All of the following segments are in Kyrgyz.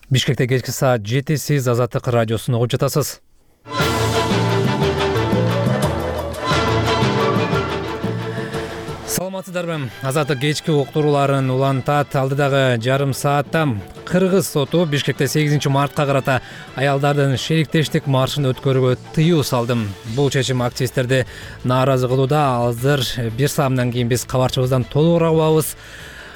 Бишкекте кечки саат 7 сиз Азаттык радиосун угуп жатасыз. Саламатсыздарбы? Азаттык кечки уктурууларын улантат. Алдыдагы жарым саатта Кыргыз соту Бишкекте 8 мартка карата аялдардын шериктештик маршын өткөрүүгө тыюу салды. Бул чечим активисттерди нааразы кылууда. Азыр бир саамдан кийин биз кабарчыбыздан толугураак угабыз.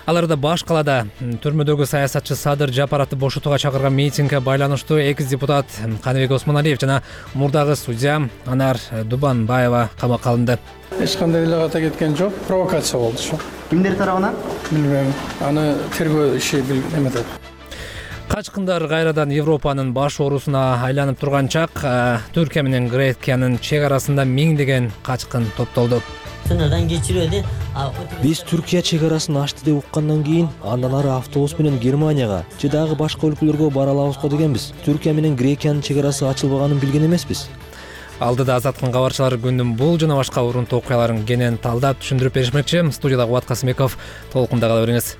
Аларда баш калаада түрмөдөгү саясатчы Садыр Жапаровду бошотууга чакырган митингге байланыштуу экс-депутат Каныбек Осмоналиев жана мурдагы судья Анар Дубанбаева камакка алынды. Эч кандай эле ката кеткен жок, провокация болду ушу. Кимдер тарабынан? Билбейм. Аны тергөө иши эметет. Качкындар кайрадан Европанын баш оорусуна айланып турган чак Түркия менен Грекиянын чек арасында миңдеген качкын топтолду. Сынырдан кечирүүнү биз Түркия чек арасын ачты деп уккандан кийин андан ары автобус менен Германияга же дагы башка өлкөлөргө бара алабызго дегенбиз. Түркия менен Грекиянын чек арасы ачылбаганын билген эмеспиз. Алдыда Азаттыктын кабарчылары күндүн бул жана башка урунтуу окуяларын кенен талдап түшүндүрүп беришмекчи. Студияда Кубат Касымбеков, толкунда кала бериңиз.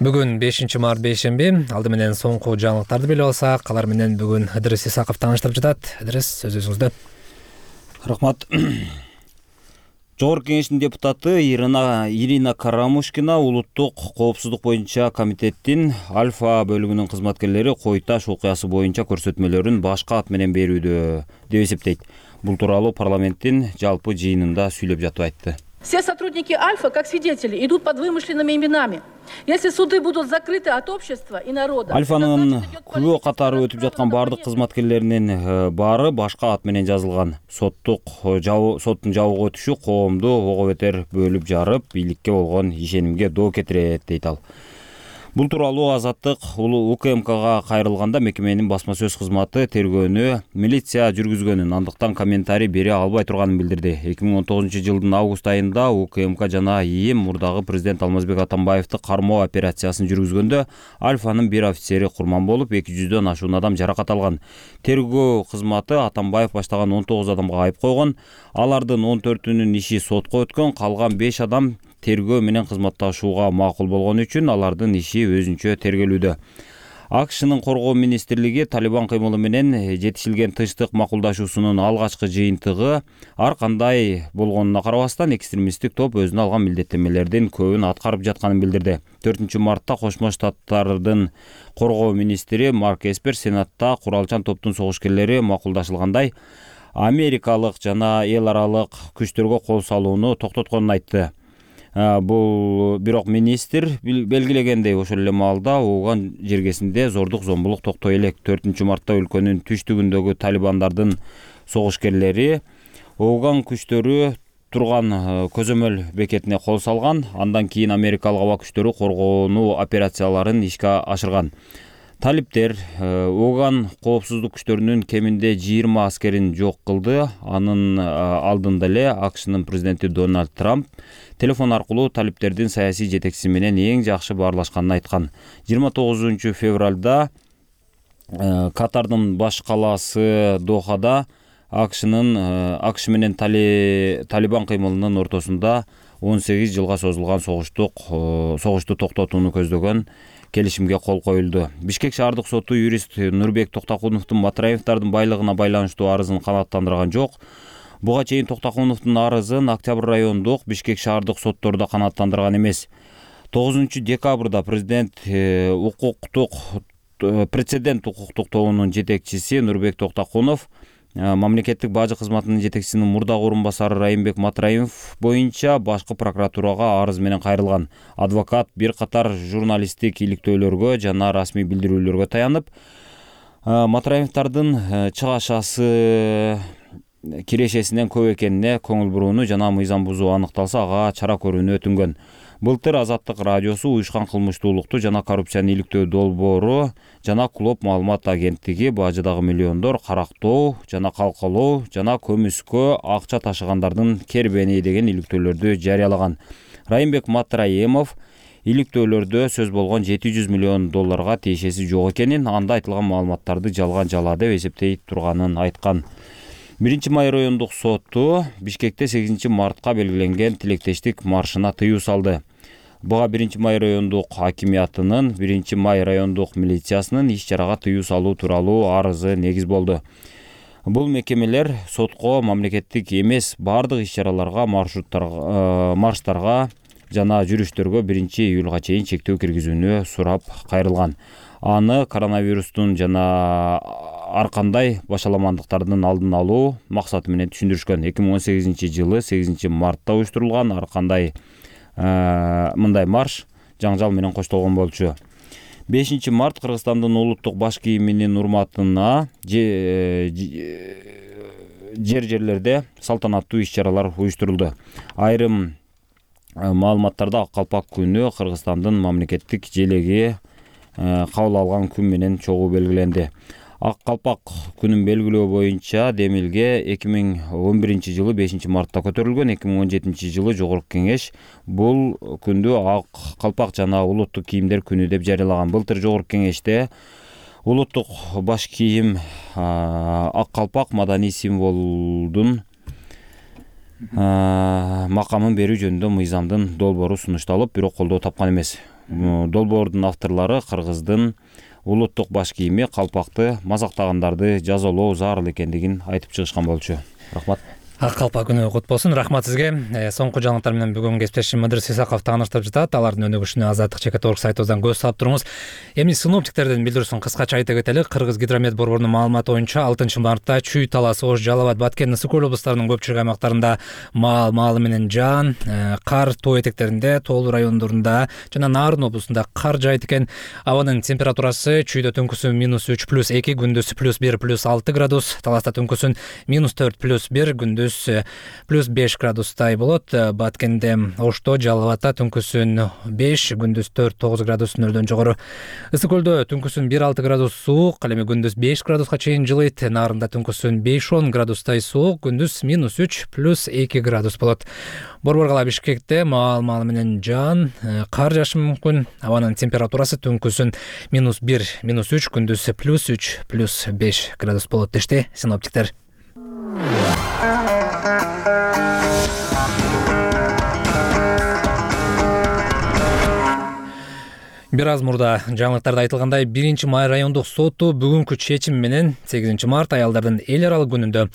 Бүгүн 5 март бейшемби. Алды менен соңку жаңылыктарды билип алсак, алар менен бүгүн Ыдырыс Исаков тааныштырып жатат. Ыдырыс, сөзүңүздө. Рахмат. Жогорку кеңештин депутаты Ирина Карамушкина улуттук коопсуздук боюнча комитеттин Альфа бөлүгүнүн кызматкерлери Кой Таш окуясы боюнча көрсөтмөлөрүн башка ат менен берүүдө деп эсептейт. Бул тууралуу парламенттин жалпы жыйынында сүйлөп жатып айтты. Все сотрудники Альфа, как свидетели, идут под вымышленными именами. Если суды будут закрыты от общества и народа... Альфанын күбө катары өтүп жаткан бардык кызматкерлеринин баары башка ат менен жазылган. Соттун жабууга өтүшү коомду ого бетер бөлүп жарып, бийликке болгон ишенимге доо кетирет, дейт ал. Бул тууралуу Азаттык УКМКга кайрылганда мекеменин басма сөз кызматы тергөөнү милиция жүргүзгөнүн, андыктан комментарий бере албай турганын билдирди. 2019-жылдын август айында УКМК жана ИИМ мурдагы президент Алмазбек Атамбаевди кармоо операциясын жүргүзгөндө Альфанын бир офицери курман болуп, 200дөн ашуун адам жаракат алган. Тергөө кызматы Атамбаев баштаган 19 адамга айып койгон. Алардын 14-үнүн иши сотко өткөн, калган 5 адам тергөө менен кызматташууга макул болгон үчүн алардын иши өзүнчө тергелүүдө. АКШнын коргоо министрлиги Талибан кыймылы менен жетишилген тынчтык макулдашуусунун алгачкы жыйынтыгы ар кандай болгонуна карабастан экстремисттик топ өзүнө алган милдеттенмелердин көбүн аткарып жатканын билдирди. 4 мартта Кошмо Штаттардын коргоо министри Марк Эспер Сенатта куралчан топтун согушкерлери макулдашылгандай америкалык жана эл аралык күчтөргө кол салууну токтотконун айтты. Бул бирок министр белгилегендей ошол эле маалда ууган жергесинде зордук зомбулук токтой элек. 4 мартта өлкөнүн түштүгүндөгү талибандардын согушкерлери ууган күчтөрү турган көзөмөл бекетине кол салган. Андан кийин америкалык аба күчтөрү коргонуу операцияларын ишке ашырган. Талиптер ууган коопсуздук күчтөрүнүн кеминде 20 аскерин жок кылды. Анын алдында эле АКШнын президенти Дональд Трамп телефон аркылуу талиптердин саясий жетекчиси менен эң жакшы баарлашканын айткан. 29 февралда Катардын баш калаасы Дохада АКШ менен Талибан кыймылынын ортосунда 18 жылга созулган согушту токтотууну көздөгөн келишимге кол коюлду. Бишкек шаардык соту юрист Нурбек Токтакуновдун Матраевдардын байлыгына байланыштуу арызын канааттандырган жок. Буга чейин Токтакуновдун арызын Октябрь райондук Бишкек шаардык соттордо канааттандырган эмес. 9 декабрда прецедент укуктук тобунун жетекчиси Нурбек Токтакунов мамлекеттик бажы кызматынын жетекчисинин мурдагы орун басары Райымбек Матраев боюнча башкы прокуратурага арыз менен кайрылган. Адвокат бир катар журналисттик иликтөөлөргө жана расмий билдирүүлөргө таянып, Матраевдардын чыгашасы кирешесинен көп экенине көңүл бурууну жана мыйзам бузуу аныкталса ага чара көрүүнү өтүнгөн. Былтыр Азаттык радиосу уюшкан кылмыштуулукту жана коррупцияны иликтөө долбоору жана Клоп маалымат агенттиги бажыдагы миллиондор карактоо жана калкалоо жана көмүскө акча ташыгандардын кербени деген иликтөөлөрдү жарыялаган. Райымбек Матраемов иликтөөлөрдө сөз болгон $700 миллион тиешеси жок экенин, анда айтылган маалыматтарды жалган жала деп эсептей турганын айткан. 1 май райондук соту Бишкекте 8 мартка белгиленген тилектештик маршына тыюу салды. Буга 1-Май райондук акимиятынын 1-Май райондук милициясынын иш-чарага тыюу салуу тууралуу арызы негиз болду. Бул мекемелер сотко мамлекеттик эмес бардык иш-чараларга, марштарга жана жүрүштөргө 1-июлга чейин чектөө киргизүүнү сурап кайрылган. Аны коронавирустун жана ар кандай башаламандыктардын алдын алуу максаты менен түшүндүрүшкөн. 2018-жылы 8-мартта уюштурулган ар кандай мындай марш жаңжал менен коштолгон болчу. 5-март Кыргызстандын улуттук баш кийиминин урматына жерлерде салтанаттуу иш-чаралар уюштурулду. Айрым маалыматтарда Ак калпак күнү Кыргызстандын мамлекеттик желеги кабыл алган күн менен чогуу белгиленди. Ак калпак күнүн белгилөө боюнча демилге 2011-жылы 5-мартта көтөрүлгөн. 2017-жылы Жогорку Кеңеш бул күндү Ак калпак жана улуттук кийимдер күнү деп жарыялаган. Былтыр Жогорку Кеңеште улуттук баш кийим ак калпак маданий символдун макамын берүү жөнүндө мыйзамдын долбоору сунушталып, бирок колдоо тапкан эмес. Долбоордун авторлору кыргыздын улуттук баш кийими калпакты мазактагандарды жазалоо зарыл экендигин айтып чыгышкан болчу. Рахмат. Ак калпак күнү кут болсун. Рахмат сизге. Соңку жаңылыктар менен бүгүн кесиптешим Мыдырыс Исаков тааныштырып жатат. Алардын өнүгүшүнө Азаттык.org сайтыбыздан көз салып туруңуз. Эми синоптиктердин билдирүүсүн кыскача айта кетели. Кыргыз гидромет борборунун маалыматы боюнча 6-мартта Чүй, Талас, Ош, Жалал Абад, Баткен, Ысык Көл облустарынын көпчүлүк аймактарында маалы менен жаан, кар тоо этектеринде, тоолуу райондорунда жана Нарын облусунда кар жаайт экен. Абанын температурасы Чүйдө түнкүсүн -3 +2, күндүз +1 +6 градус, Таласта түнкүсүн -4 +1, күндүз +5 градустай болот. Баткенде, Ошто, Жалал Абадта түнкүсүн 5, күндүз 4-9 градус нөлдөн жогору. Ысык Көлдө түнкүсүн 1-6 градус суук, ал эми күндүз 5 градуска чейин жылыйт. Нарында түнкүсүн 5-10 градустай суук, күндүз -3 +2 градус болот. Борбор кала Бишкекте маал менен жаан, кар жаашы мүмкүн. Абанын температурасы түнкүсүн -1, -3, күндүз +3 +5 градус болот дешти синоптиктер. Бир аз мурда жаңылыктарда айтылгандай, 1-Май райондук соту бүгүнкү чечим менен 8-март аялдардын эл аралык күнүндө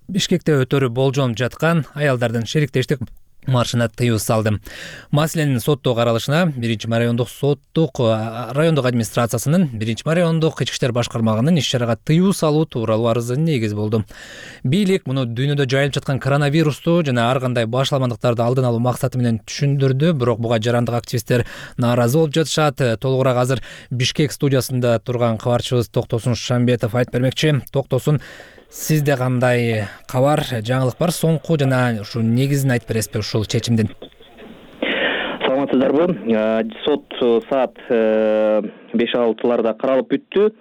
Бишкекте өтөрү болжонуп жаткан аялдардын шериктештик маршына тыюу салды. Маселенин соттоо каралышына 1-Май райондук администрациясынын 1-Май райондук ички иштер башкармагынын иш-чарага тыюу салуу тууралуу арызы негиз болду. Бийлик муну дүйнөдө жайылып жаткан коронавирусту жана ар кандай башаламандыктарды алдын алуу максаты менен түшүндүрдү, бирок буга жарандык активисттер нааразы болуп жатышат. Толугураак азыр Бишкек студиясында турган кабарчыбыз Токтосун Шамбетов айтып бермекчи. Токтосун, сизде кандай кабар, жаңылык бар? Соңку жана ушу негизин айтып бересизби ушул чечимдин? Саламатсыздарбы? Сот саат 5-6 каралып бүттү.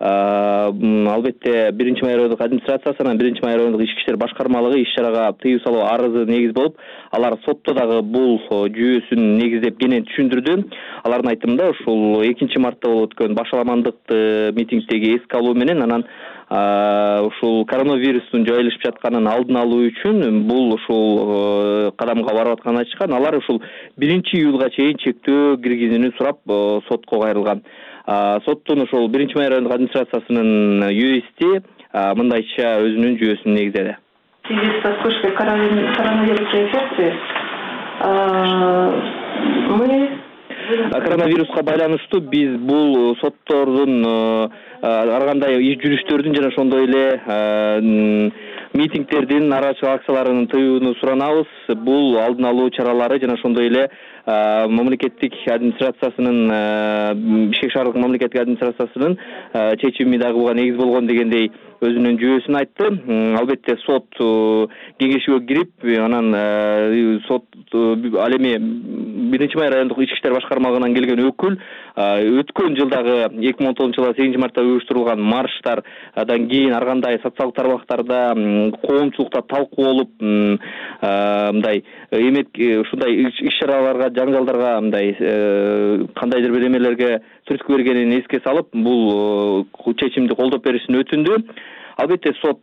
Албетте 1-Май райондук администрациясынан 1-Май райондук ички иштер башкармалыгы иш-чарага тыюу салуу арызы негиз болуп, алар сотто дагы бул жүйөсүн негиздеп кенен түшүндүрдү. Алардын айтымында ушул 2-мартта болуп өткөн башаламандык митингдеги эске алуу менен анан ушул коронавирустун жайылышып жатканын алдын алуу үчүн бул ушул кадамга барып атканын айтышкан. Алар ушул 1-июлга чейин чектөө киргизүүнү сурап сотко кайрылган. Соттун ушул 1-Май райондук администрациясынын юристи мындайча өзүнүн жүйөсүн негиздеди. В связи со вспышкой коронавирусной инфекции мы коронавируска байланыштуу биз бул соттордун ар кандай иш жүрүштөрдүн жана ошондой эле митингдердин, нааразычылык акцияларынын тыюуну суранабыз. Бул алдын алуу чаралары жана ошондой эле мамлекеттик администрациясынын Бишкек шаардык мамлекеттик администрациясынын чечими дагы буга негиз болгон дегендей өзүнүн жүйөсүн айтты. Албетте сот кеңешиге кирип, анан сот ал эми 1-Май райондук ички иштер башкармагынан келген өкүл өткөн жылдагы 2019-жылы 8-мартта уюштурулган марштардан кийин ар кандай социалдык тармактарда коомчулукта талкуу болуп, мындай эмет ушундай иш-чараларга, жаңжалдарга мындай кандайдыр бир эмелерге түрткү бергенин эске салып, бул чечимди колдоп беришин өтүндү. албетте сот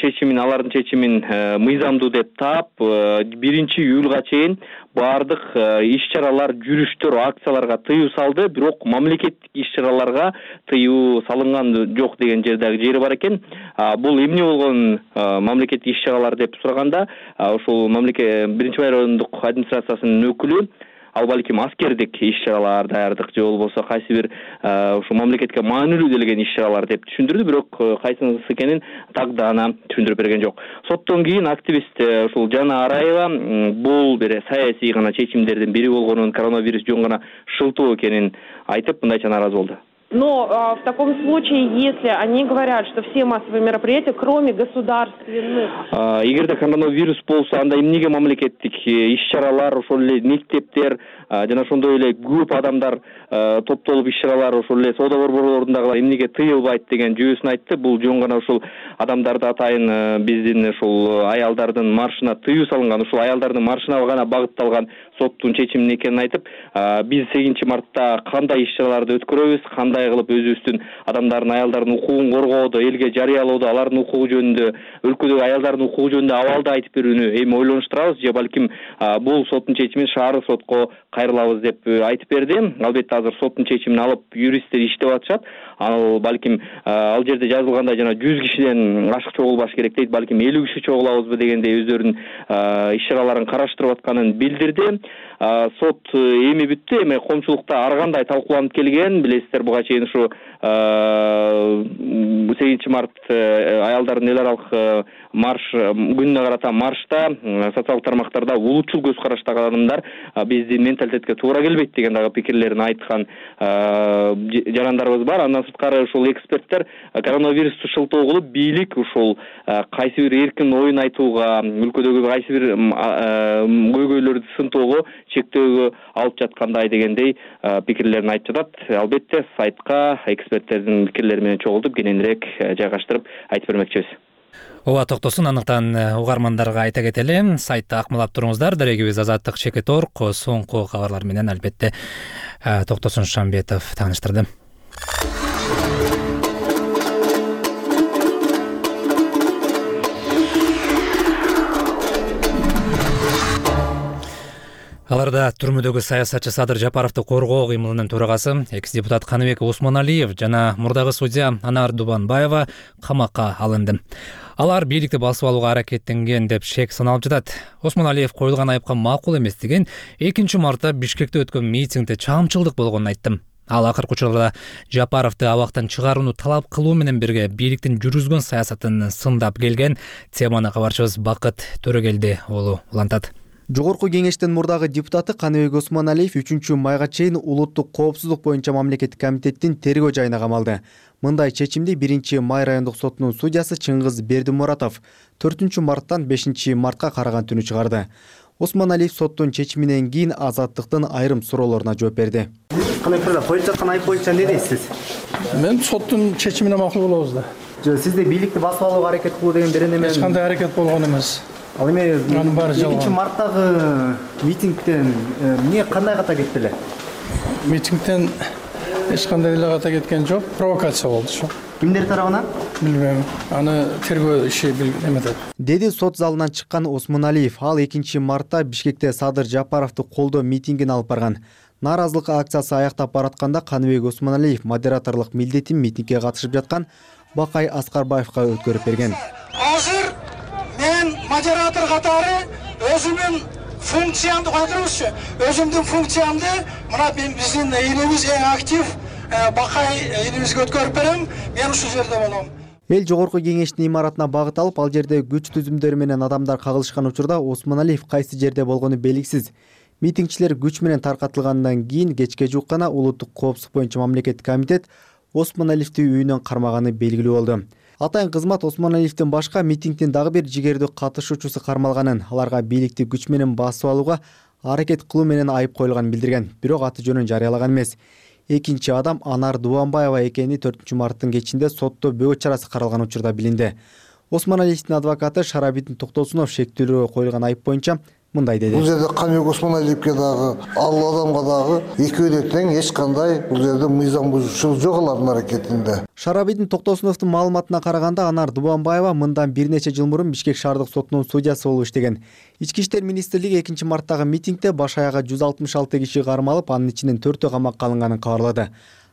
чечимин, алардын чечимин мыйзамдуу деп таап, 1-июлга чейин баардык иш-чаралар, жүрүштөр, акцияларга тыюу салды, бирок мамлекеттик иш-чараларга тыюу салынган жок деген жери бар экен. Бул эмне болгон мамлекеттик иш-чаралар деп сураганда, ушул 1 райондук администрациясынын өкүлү ал балким аскердик иш-чаралар даярдык же болбосо кайсы бир ушул мамлекетке маанилүү делген иш-чаралар деп түшүндүрдү, бирок кайсынысы экенин так даана түшүндүрүп берген жок. Соттон кийин активист ушул Жана Араева бул бир саясий гана чечимдердин бири болгонун, коронавирус жөн гана шылтоо экенин айтып, мындайча нааразы болду. Но в таком случае, если они говорят, что все массовые мероприятия, кроме государственных... Эгерде коронавирус болсо, анда эмнеге мамлекеттик иш-чаралар, ошол эле мектептер, жана ошондой эле көп адамдар топтолуп иш-чаралар, ошол эле соода борборлорунда эмнеге тыйылбайт деген жүйөсүн айтты. Бул жөн гана ушул адамдарды атайын биздин ушул аялдардын маршына тыюу салынган, ушул аялдардын маршына гана багытталган соттун чечими экенин айтып, биз 8 мартта кандай иш-чараларды өткөрөбүз, кандай кылып өзүбүздүн адамдардын, аялдардын укугун коргоодо, элге жарыялоодо, алардын укугу жөнүндө, өлкөдөгү аялдардын укугу жөнүндө абалды айтып берүүнү эми ойлонуштурабыз, же балким бул соттун чечимин шаардык сотко кайрылабыз деп айтып берди. Албетте азыр соттун чечимин алып юристтер иштеп атышат. Ал балким ал жерде жазылгандай жана 100 кишиден ашык чогулбаш керек дейт, балким 50 киши чогулабызбы дегендей өздөрүнүн иш-чараларын караштырып атканын билдирди. Сот эми бүттү, эми коомчулукта ар кандай талкууланып келген, билесиздер, буга чейин ушу 8 март аялдардын эл аралык марш күнүнө карата маршта социалдык тармактарда улутчул көз караштагы адамдар биздин менталитетке туура келбейт деген дагы пикирлерин айткан жарандарыбыз бар. Андан сырткары ушул эксперттер коронавирусту шылтоо кылып, бийлик ушул кайсы бир эркин оюн айтууга, өлкөдөгү кайсы бир көйгөйлөрдү сынтоого чектөөгө алып жаткандай дегендей пикирлерин айтып жатат. Албетте сайтка эксперттердин пикирлери менен чогултуп, кененирээк жайгаштырып айтып бермекчибиз. Ооба, токтосун. Андыктан угармандарга айта кетели, сайтта акмалап туруңуздар. Дарегибиз Азаттык.org соңку кабарлар менен албетте Токтосун Шамбетов тааныштырды. Аларда түрмөдөгү саясатчы Садыр Жапаровду коргоо кыймылынын төрагасы экс-депутат Каныбек Осмоналиев жана мурдагы судья Анар Дубанбаева камакка алынды. Алар бийликти басып алууга аракеттенген деп шек саналып жатат. Осмоналиев коюлган айыпка макул эмес деген 2 мартта Бишкекте өткөн митингде чамчылдык болгонун айтты. Ал акыркы учурда Жапаровду абактан чыгарууну талап кылуу менен бирге бийликтин жүргүзгөн саясатын сындап келген. Теманы кабарчыбыз Бакыт Төрөгелди уулу улантат. Жогорку кеңештин мурдагы депутаты Каныбек Осмоналиев 3 майга чейин улуттук коопсуздук боюнча мамлекеттик комитеттин тергөө жайына камалды. Мындай чечимди 1 май райондук сотунун судьясы Чыңгыз Бердимуратов 4 марттан 5 мартка караган түнү чыгарды. Осмоналиев соттун чечиминен кийин Азаттыктын айрым суроолоруна жооп берди. Каныбек коюлуп жаткан айып боюнча эмне дейсиз? Мен соттун чечимине макул болобуз да. Сизде бийликти басып алууга аракет кылуу деген берене менен Эч кандай аракет болгон эмес. Ал эми 2 марттагы митингден эмне кандай ката кетти эле? Митингден эч кандай эле ката кеткен жок, провокация болду ушу. Кимдер тарабынан? Билбейм. Аны тергөө иши эметет. Деди сот залынан чыккан Осмоналиев. Ал 2 мартта Бишкекте Садыр Жапаровду колдоо митингин алып барган. Нааразылык акциясы аяктап баратканда Каныбек Осмоналиев модераторлук милдетин митингге катышып жаткан Бакай Аскарбаевга өткөрүп берген. Азыр мен модератор катары өзүмдүн функциямды койдурмузчу. Өзүмдүн функциямды мына биздин элибиз эң актив Бакай элибизге өткөрүп берем. Мен ушул жерде болом. Эл жогорку кеңештин имаратына багыт алып, ал жерде күч түзүмдөрү менен адамдар кагылышкан учурда Осмоналиев кайсы жерде болгону белгисиз. Митингчилер күч менен таркатылгандан кийин кечке жуук гана улуттук коопсуздук боюнча мамлекеттик комитет Осмоналиевди үйүнөн кармаганы белгилүү болду. Атайын кызмат Осмоналиевдин башка митингдин дагы бир жигердүү катышуучусу кармалганын, аларга бийликти күч менен басып алууга аракет кылуу менен айып коюлганын билдирген, бирок аты жөнүн жарыялаган эмес. Экинчи адам Анар Дубанбаева экени 4 марттын кечинде сотто бөгөт чарасы каралган учурда билинди. Осмоналиевдин адвокаты Шарабидин Токтосунов шектүүлөргө коюлган айып боюнча мындай деди. Бул жерде Камек Осмоналиевке дагы, ал адамга дагы экөө да тең, эч кандай бул жерде мыйзам бузуучулук жок алардын аракетинде. Шарабидин Токтосуновдун маалыматына караганда Анар Дубанбаева мындан бир нече жыл мурун Бишкек шаардык сотунун судьясы болуп иштеген. Ички иштер министрлиги 2-марттагы митингде баш аяга 166 киши кармалып, анын ичинен 4-өө камакка алынганын кабарлады.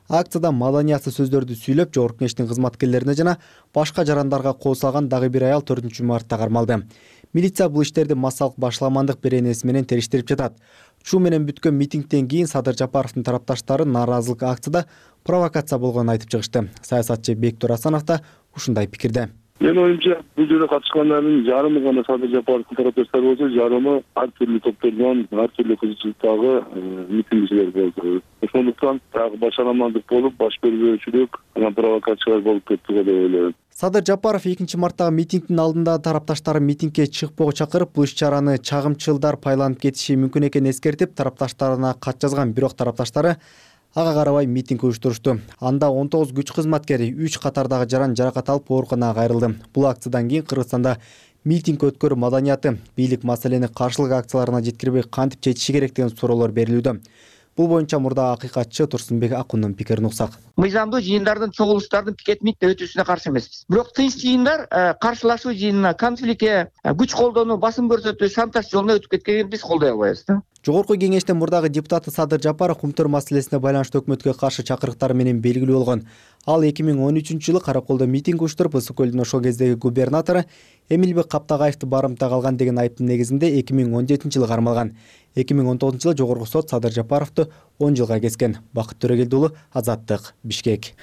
Акцияда маданиясыз сөздөрдү сүйлөп, Жогорку Кеңештин кызматкерлерине жана башка жарандарга кол салган дагы бир аял 4-мартта кармалды. Милиция бул иштерди массалык башаламандык беренеси менен териштирип жатат. Чуу менен бүткөн митингден кийин Садыр Жапаровдун тарапташтары нааразылык акцияда провокация болгонун айтып чыгышты. Саясатчы Бектур Асанов да ушундай пикирде. Мен оюмча, бул жерде катышкандардын жарымы гана Садыр Жапаровдун тарапташтары болсо, жарымы ар түрдүү топтордон, ар түрдүү кызыкчылыктагы митингчилер болду. Ошондуктан дагы башаламандык болуп, баш бербөөчүлүк, анан провокациялар болуп кетти деп ойлойм. Садыр Жапаров 2-марттагы митингдин алдында тарапташтары митингге чыкпоого чакырып, бул иш-чараны чагымчылдар пайланып кетиши мүмкүн экенин эскертип, тарапташтарына кат жазган, бирок тарапташтары ага карабай митинг уюштурушту. Анда 19 күч кызматкери 3 катардагы жаран жаракат алып ооруканага кайрылды. Бул акциядан кийин Кыргызстанда митинг өткөрүү маданияты, бийлик маселени каршылык акцияларына жеткирбей кантип чечиши керек деген суроолор берилүүдө. Бул боюнча мурда акыйкатчы Турсунбек Акундун пикирин уксак. Мыйзамдуу жыйындардын, чогулуштардын пикет митинг өтүүсүнө каршы эмеспиз. Бирок тынч жыйындар каршылашуу жыйынына, конфликтке, күч колдонуу, басым көрсөтүү, шантаж жолуна өтүп кеткенин биз колдой албайбыз да. Жогорку Кеңештин мурдагы депутаты Садыр Жапаров Кумтөр маселесине байланыштуу өкмөткө каршы чакырыктары менен белгилүү болгон. Ал 2013-жылы Караколдо митинг уюштуруп, Ысык көлдүн ошол кездеги губернатору Эмилбек Каптагаевди барымтага алган деген айыптын негизинде 2017-жылы кармалган. 2019-жылы Жогорку сот Садыр Жапаровду 10 жылга kesкен. Бакыт Төрөгелди уулу, Азаттык, Бишкек.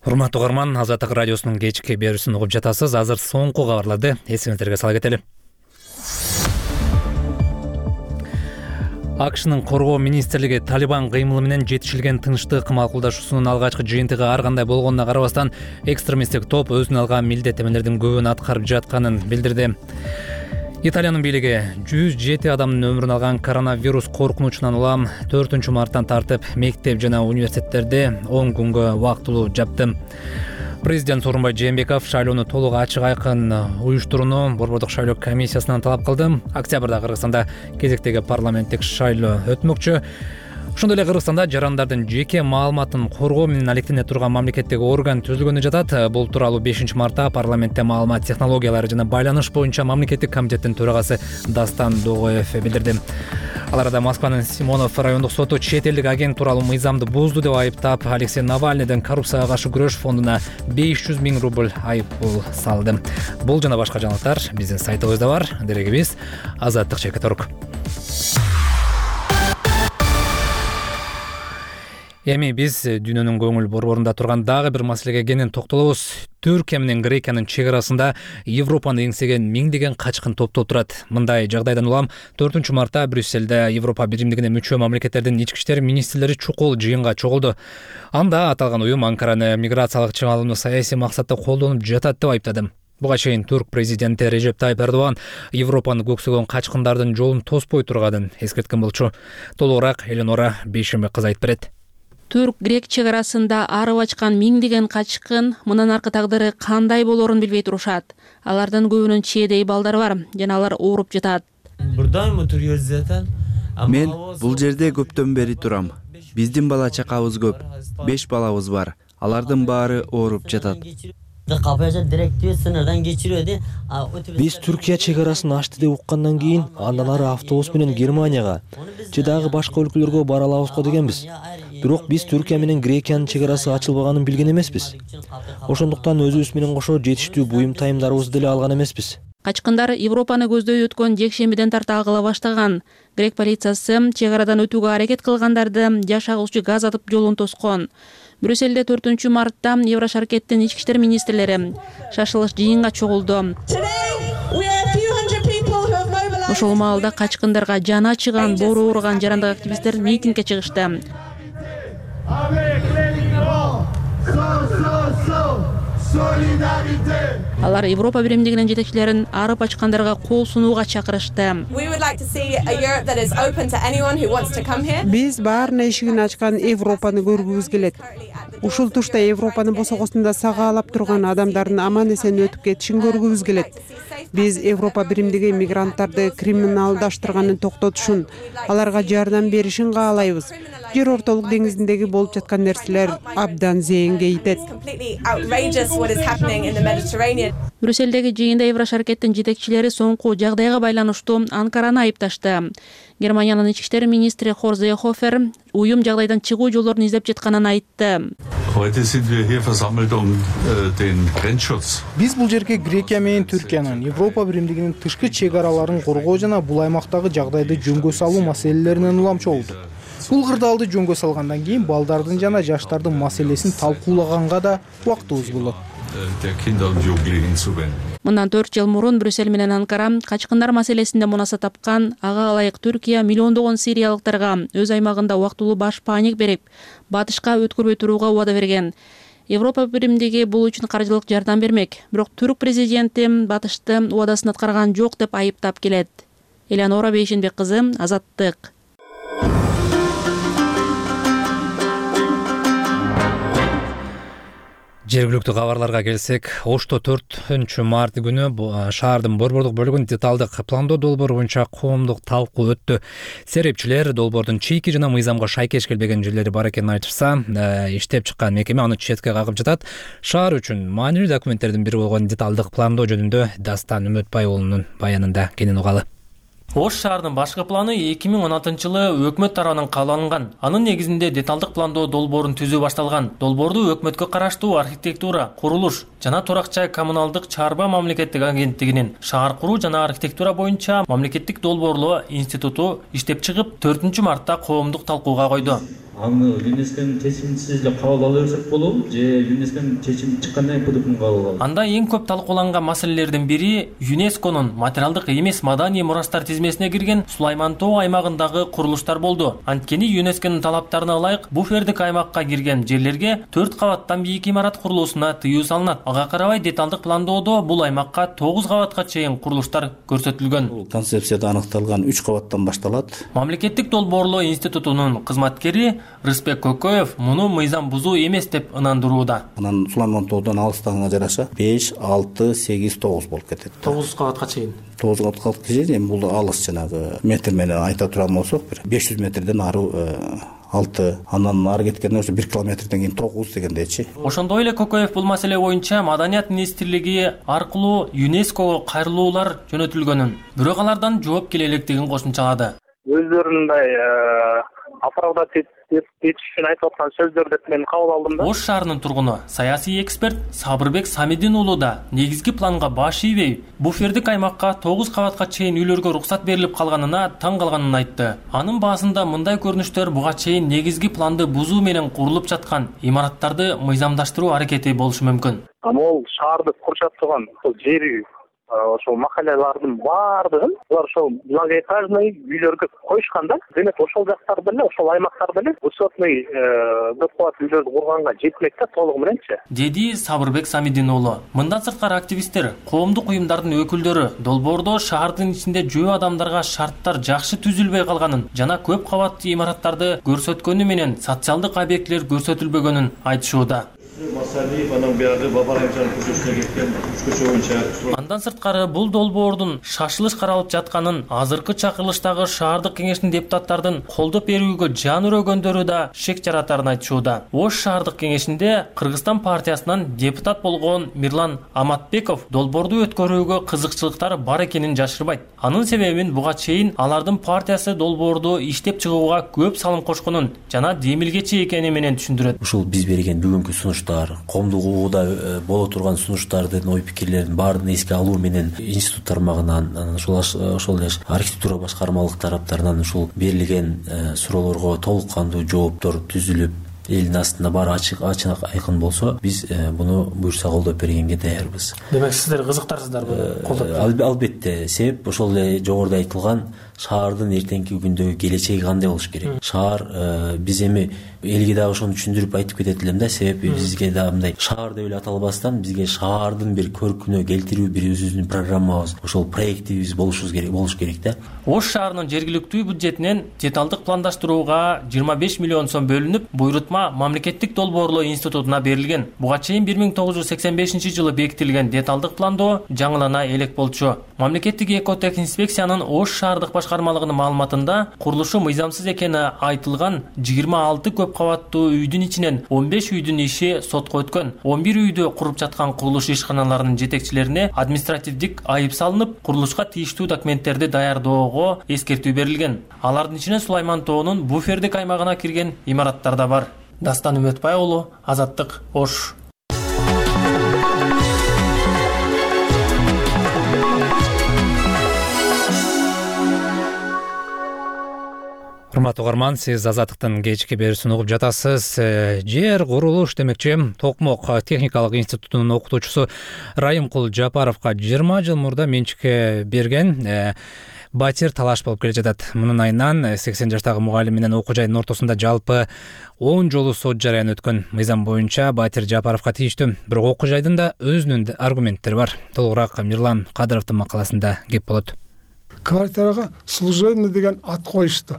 Урматтуу угарман, Азаттык радиосунун кечки берүүсүн угуп жатасыз. Азыр соңку кабарларды эсиңиздерге сала кетели. АКШнын коргоо министрлиги Талибан кыймылы менен жетишилген тынчтык макулдашуусунун алгачкы жыйынтыгы ар кандай болгонуна карабастан экстремисттик топ өзүнө алган милдеттемелердин көбүн аткарып жатканын билдирди. Италиянын бийлиги 107 адамдын өмүрүн алган коронавирус коркунучунан улам 4-марттан тартып мектеп жана университеттерди 10 күнгө убактылуу жапты. Президент Сооронбай Жээнбеков шайлоону толук ачык айкын уюштурууну Борбордук шайлоо комиссиясынан талап кылды. Октябрда Кыргызстанда кезектеги парламенттик шайлоо өтмөкчү. Ошондой эле Кыргызстанда жарандардын жеке маалыматын коргоо менен алектене турган мамлекеттик орган түзүлгөнү жатат. Бул тууралуу 5-мартта парламентте маалымат технологиялары жана байланыш боюнча мамлекеттик комитеттин төрагасы Дастан Догоев билдирди. Ал арада Москванын Симонов райондук соту чет элдик агент тууралуу мыйзамды бузду деп айыптап, Алексей Навальныйдын коррупцияга каршы күрөш фондуна 500 000 рубль айыппул салды. Бул жана башка жаңылыктар биздин сайтыбызда бар. Дерегибиз azаттык.org. Эми биз дүйнөнүн көңүл борборунда турган дагы бир маселеге кенен токтолобуз. Түркия менен Грекиянын чек арасында Европаны эңсеген миңдеген качкын топтолуп турат. Мындай жагдайдан улам 4-мартта Брюссельде Европа биримдигине мүчө мамлекеттердин ички иштер министрлери чукул жыйынга чогулду. Анда аталган уюм Анкараны миграциялык чыгарууну саясий максатта колдонуп жатат деп айыптады. Буга чейин Түрк президенти Режеп Тайып Эрдоган Европаны көксөгөн качкындардын жолун тоспой турганын эскерткен болчу. Толугураак Эленора Бейшембек кыз айтып берет. Түрк-грек чек арасында арып ачкан миңдеген качкын мындан аркы тагдыры кандай болорун билбей турушат. Алардын көбүнүн чээдей балдары бар, жана алар ооруп жатат. Мен бул жерде көптөн бери турам. Биздин бала чакабыз көп. 5 балабыз бар. Алардын баары ооруп жатат. Биз Түркия чек арасын ачты деп уккандан кийин андан ары автобус менен Германияга же дагы башка өлкөлөргө бара алабызго дегенбиз. Бирок биз Түркия менен Грекиянын чек арасы ачылбаганын билген эмеспиз. Ошондуктан өзүбүз менен кошо жетиштүү буюм тайымдарыбызды деле алган эмеспиз. Качкындар Европаны көздөй өткөн жекшембиден тарта агыла баштаган. Грек полициясы чек арадан өтүүгө аракет кылгандарды жаш агуучу газ атып жолун тоскон. Брюссельде 4-мартта Еврошаркеттин ички иштер министрлери шашылыш жыйынга чогулду. Ошол маалда качкындарга жаны ачыган, боору ооруган жарандык активисттер митингге чыгышты. Алар Европа биримдигинин жетекчилерин арып ачкандарга кол сунууга чакырышты. Биз баарына эшигин ачкан Европаны көргүбүз келет. Ушул тушта Европанын босогосунда сагаалап турган адамдардын аман эсен өтүп кетишин көргүбүз келет. Биз Европа биримдиги мигранттарды криминалдаштырганын токтотушун, аларга жардам беришин каалайбыз. Жер ортолук деңизиндеги болуп жаткан нерселер абдан зээнге итет. Брюссельдеги жыйында Еврош аракеттин жетекчилери соңку жагдайга байланыштуу Анкараны айыпташты. Германиянын ички иштер министри Хорст Seehofer уюм жагдайдан чыгуу жолдорун издеп жатканын айтты. Биз бул жерге Грекия менен Түркиянын Европа биримдигинин тышкы чек араларын коргоо жана бул аймактагы жагдайды жөнгө салуу маселелеринен улам чогулдук. Бул кырдаалды жөнгө салгандан кийин балдардын жана жаштардын маселесин талкуулаганга да убактыбыз болот. Мындан 4 жыл мурун Брюссель менен Анкара качкындар маселесинде мунаса тапкан. Ага ылайык Түркия миллиондогон сириялыктарга өз аймагында убактылуу баш паник берип, батышка өткөрбөй турууга убада берген. Европа биримдиги бул үчүн каржылык жардам бермек. Бирок түрк президенти батышты убадасын аткарган жок деп айыптап келет. Элеонора Бейшенбек кызы, Азаттык. Жергиликтүү кабарларга келсек, Ошто 4-март күнү шаардын борбордук бөлүгүн деталдык пландоо долбоору боюнча коомдук талкуу өттү. Серепчилер долбоордун чийки жана мыйзамга шайкеш келбеген жерлери бар экенин айтышса, иштеп чыккан мекеме аны четке кагып жатат. Шаар үчүн маанилүү документтердин бири болгон деталдык пландоо жөнүндө Дастан Үмөтбай уулунун баянында кенен угалы. Ош шаарынын башкы планы 2016-жылы өкмөт тарабынан кабыл алынган. Анын негизинде деталдык пландоо долбоорун түзүү башталган. Долбоорду өкмөткө караштуу архитектура, курулуш жана турак-жай коммуналдык чарба мамлекеттик агенттигинин шаар куруу жана архитектура боюнча мамлекеттик долбоорлоо институту иштеп чыгып 4-мартта коомдук талкууга койду. Аны ЮНЕСКОнун чечиминсиз эле кабыл ала берсек болобу же ЮНЕСКонун чечими чыккандан кийин кабыл алабыз? Анда эң көп талкууланган маселелердин бири ЮНЕСКонун материалдык эмес маданий мурастар тизмесине кирген Сулайман Тоо аймагындагы курулуштар болду. Анткени ЮНЕСКонун талаптарына ылайык буфердик аймакка кирген жерлерге 4 кабаттан бийик имарат курулуусуна тыюу салынат. Ага карабай деталдык пландоодо бул аймакка 9 кабатка чейин курулуштар көрсөтүлгөн. Концепцияда аныкталган 3 кабаттан башталат. Мамлекеттик долбоорлоо институтунун кызматкери Рыспек Көкөев муну мыйзам бузуу эмес деп ынандырууда. Анан Сулайман Тоодон алыстыгына жараша 5, 6, 8, 9 болуп кетет. 9 кабатка чейин. 9 кабатка чейин бул алыс жанагы метр менен айта турган болсок, 500 метрден ары 6, андан ары кеткенде ошо 1 километрден кийин 9 дегендейчи. Ошондой эле Көкөев бул маселе боюнча Маданият министрлиги аркылуу ЮНЕСКого кайрылуулар жөнөтүлгөнүн, бирок алардан жооп келе электигин кошумчалады. Өздөрүнүн оправдать этишин айтып аткан сөздөр деп мен кабыл алдым да. Ош шаарынын тургуну, саясий эксперт Сабырбек Самидин уулу да негизги планга баш ийбей, буфердик аймакка 9 кабатка чейин үйлөргө уруксат берилип калганына таң калганын айтты. Анын баасында мындай көрүнүштөр буга чейин негизги планды бузуу менен курулуп жаткан имараттарды мыйзамдаштыруу аракети болушу мүмкүн. Ал шаарды курчап турган жери ошол махаллалардын баардыгын булар ошол многоэтажный үйлөргө коюшкан да. Демек ошол жактар деле, ошол аймактар деле высотный көп кабаттуу үйлөрдү курганга жетмек да толугу мененчи, деди Сабырбек Самидин уулу. Мындан сырткары активисттер, коомдук уюмдардын өкүлдөрү долбоордо шаардын ичинде жөө адамдарга шарттар жакшы түзүлбөй калганын жана көп кабаттуу имараттарды көрсөткөнү менен социалдык объектилер көрсөтүлбөгөнүн айтышууда. Андан сырткары бул долбоордун шашылыш каралып жатканын азыркы чакырылыштагы шаардык кеңештин депутаттардын колдоп берүүгө жан өрөгөндөрү да шек жаратарын айтышууда. Ош шаардык кеңешинде Кыргызстан партиясынан депутат болгон Мирлан Аматбеков долбоорду өткөрүүгө кызыкчылыктары бар экенин жашырбайт. Анын себебин буга чейин алардын партиясы долбоорду иштеп чыгууга көп салым кошконун жана демилгечи экени менен түшүндүрөт. Ушул биз берген бүгүнкү сунуштар, коомдук угууда боло турган сунуштардын ой пикирлерин баарын эске алуу менен институт тармагынан, ошол эле архитектура башкармалык тараптарынан ушул берилген суроолорго толук кандуу жооптор түзүлүп, элдин астында баары ачык айкын болсо, биз буну буюрса колдоп бергенге даярбыз. Демек сиздер кызыктарсыздарбы колдоп? Албетте, себеп ошол эле жогоруда айтылган шаардын эртеңки күндөгү келечеги кандай болуш керек. Шаар биз эми элге дагы ошону түшүндүрүп айтып кетет элем да, себеби бизге да мындай шаар деп эле аталбастан бизге шаардын бир көркүнө келтирүү бир өзүбүздүн программабыз, ошол проектибиз болуш керек да. Ош шаарынын жергиликтүү бюджетинен деталдык пландаштырууга 25 миллион сом бөлүнүп, буйрутма мамлекеттик долбоорлоо институтуна берилген. Буга чейин 1985-жылы бекитилген деталдык пландоо жаңылана элек болчу. Мамлекеттик экотехинспекциянын Ош шаардык башкармалыгынын маалыматында курулушу мыйзамсыз экени айтылган 26 көп кабаттуу үйдүн ичинен 15 үйдүн иши сотко өткөн. 11 үйдү куруп жаткан курулуш ишканаларынын жетекчилерине административдик айып салынып, курулушка тийиштүү документтерди даярдоого эскертүү берилген. Алардын ичинен Сулайман тоонун буфердик аймагына кирген имараттар да бар. Дастан Үмөтбай уулу, Азаттык, Ош. Урматтуу угарман, сиз Азаттыктын кечки берүүсүн угуп жатасыз. Жер курулуш демекчи Токмок техникалык институтунун окутуучусу Райымкул Жапаровго 20 жыл мурда менчикке берген батир талаш болуп келе жатат. Мунун айынан 80 жаштагы мугалим менен окуу жайдын ортосунда жалпы 10 жолу сот жарыян өткөн. Мыйзам боюнча батир Жапаровго тийиштүү, бирок окуу жайдын да өзүнүн аргументтери бар. Толугураак Мирлан Кадыровдун макаласында кеп болот. Квартирага служебный деген ат коюшту.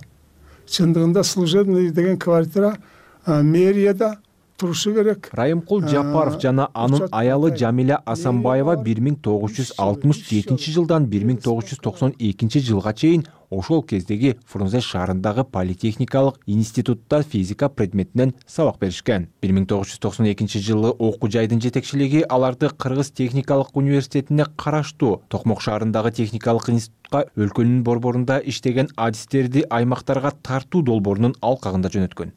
Чындыгында служебный деген квартира мэрияда турушу керек. Райымкул Жапаров жана анын аялы Жамиля Асанбаева 1967 жылдан 1992 жылга чейин ошол кездеги Фрунзе шаарындагы политехникалык институтта физика предметинен сабак беришкен. 1992 жылы окуу жайдын жетекчилиги аларды Кыргыз техникалык университетине караштуу Токмок шаарындагы техникалык институтка өлкөнүн борборунда иштеген адистерди аймактарга тартуу долбоорунун алкагында жөнөткөн.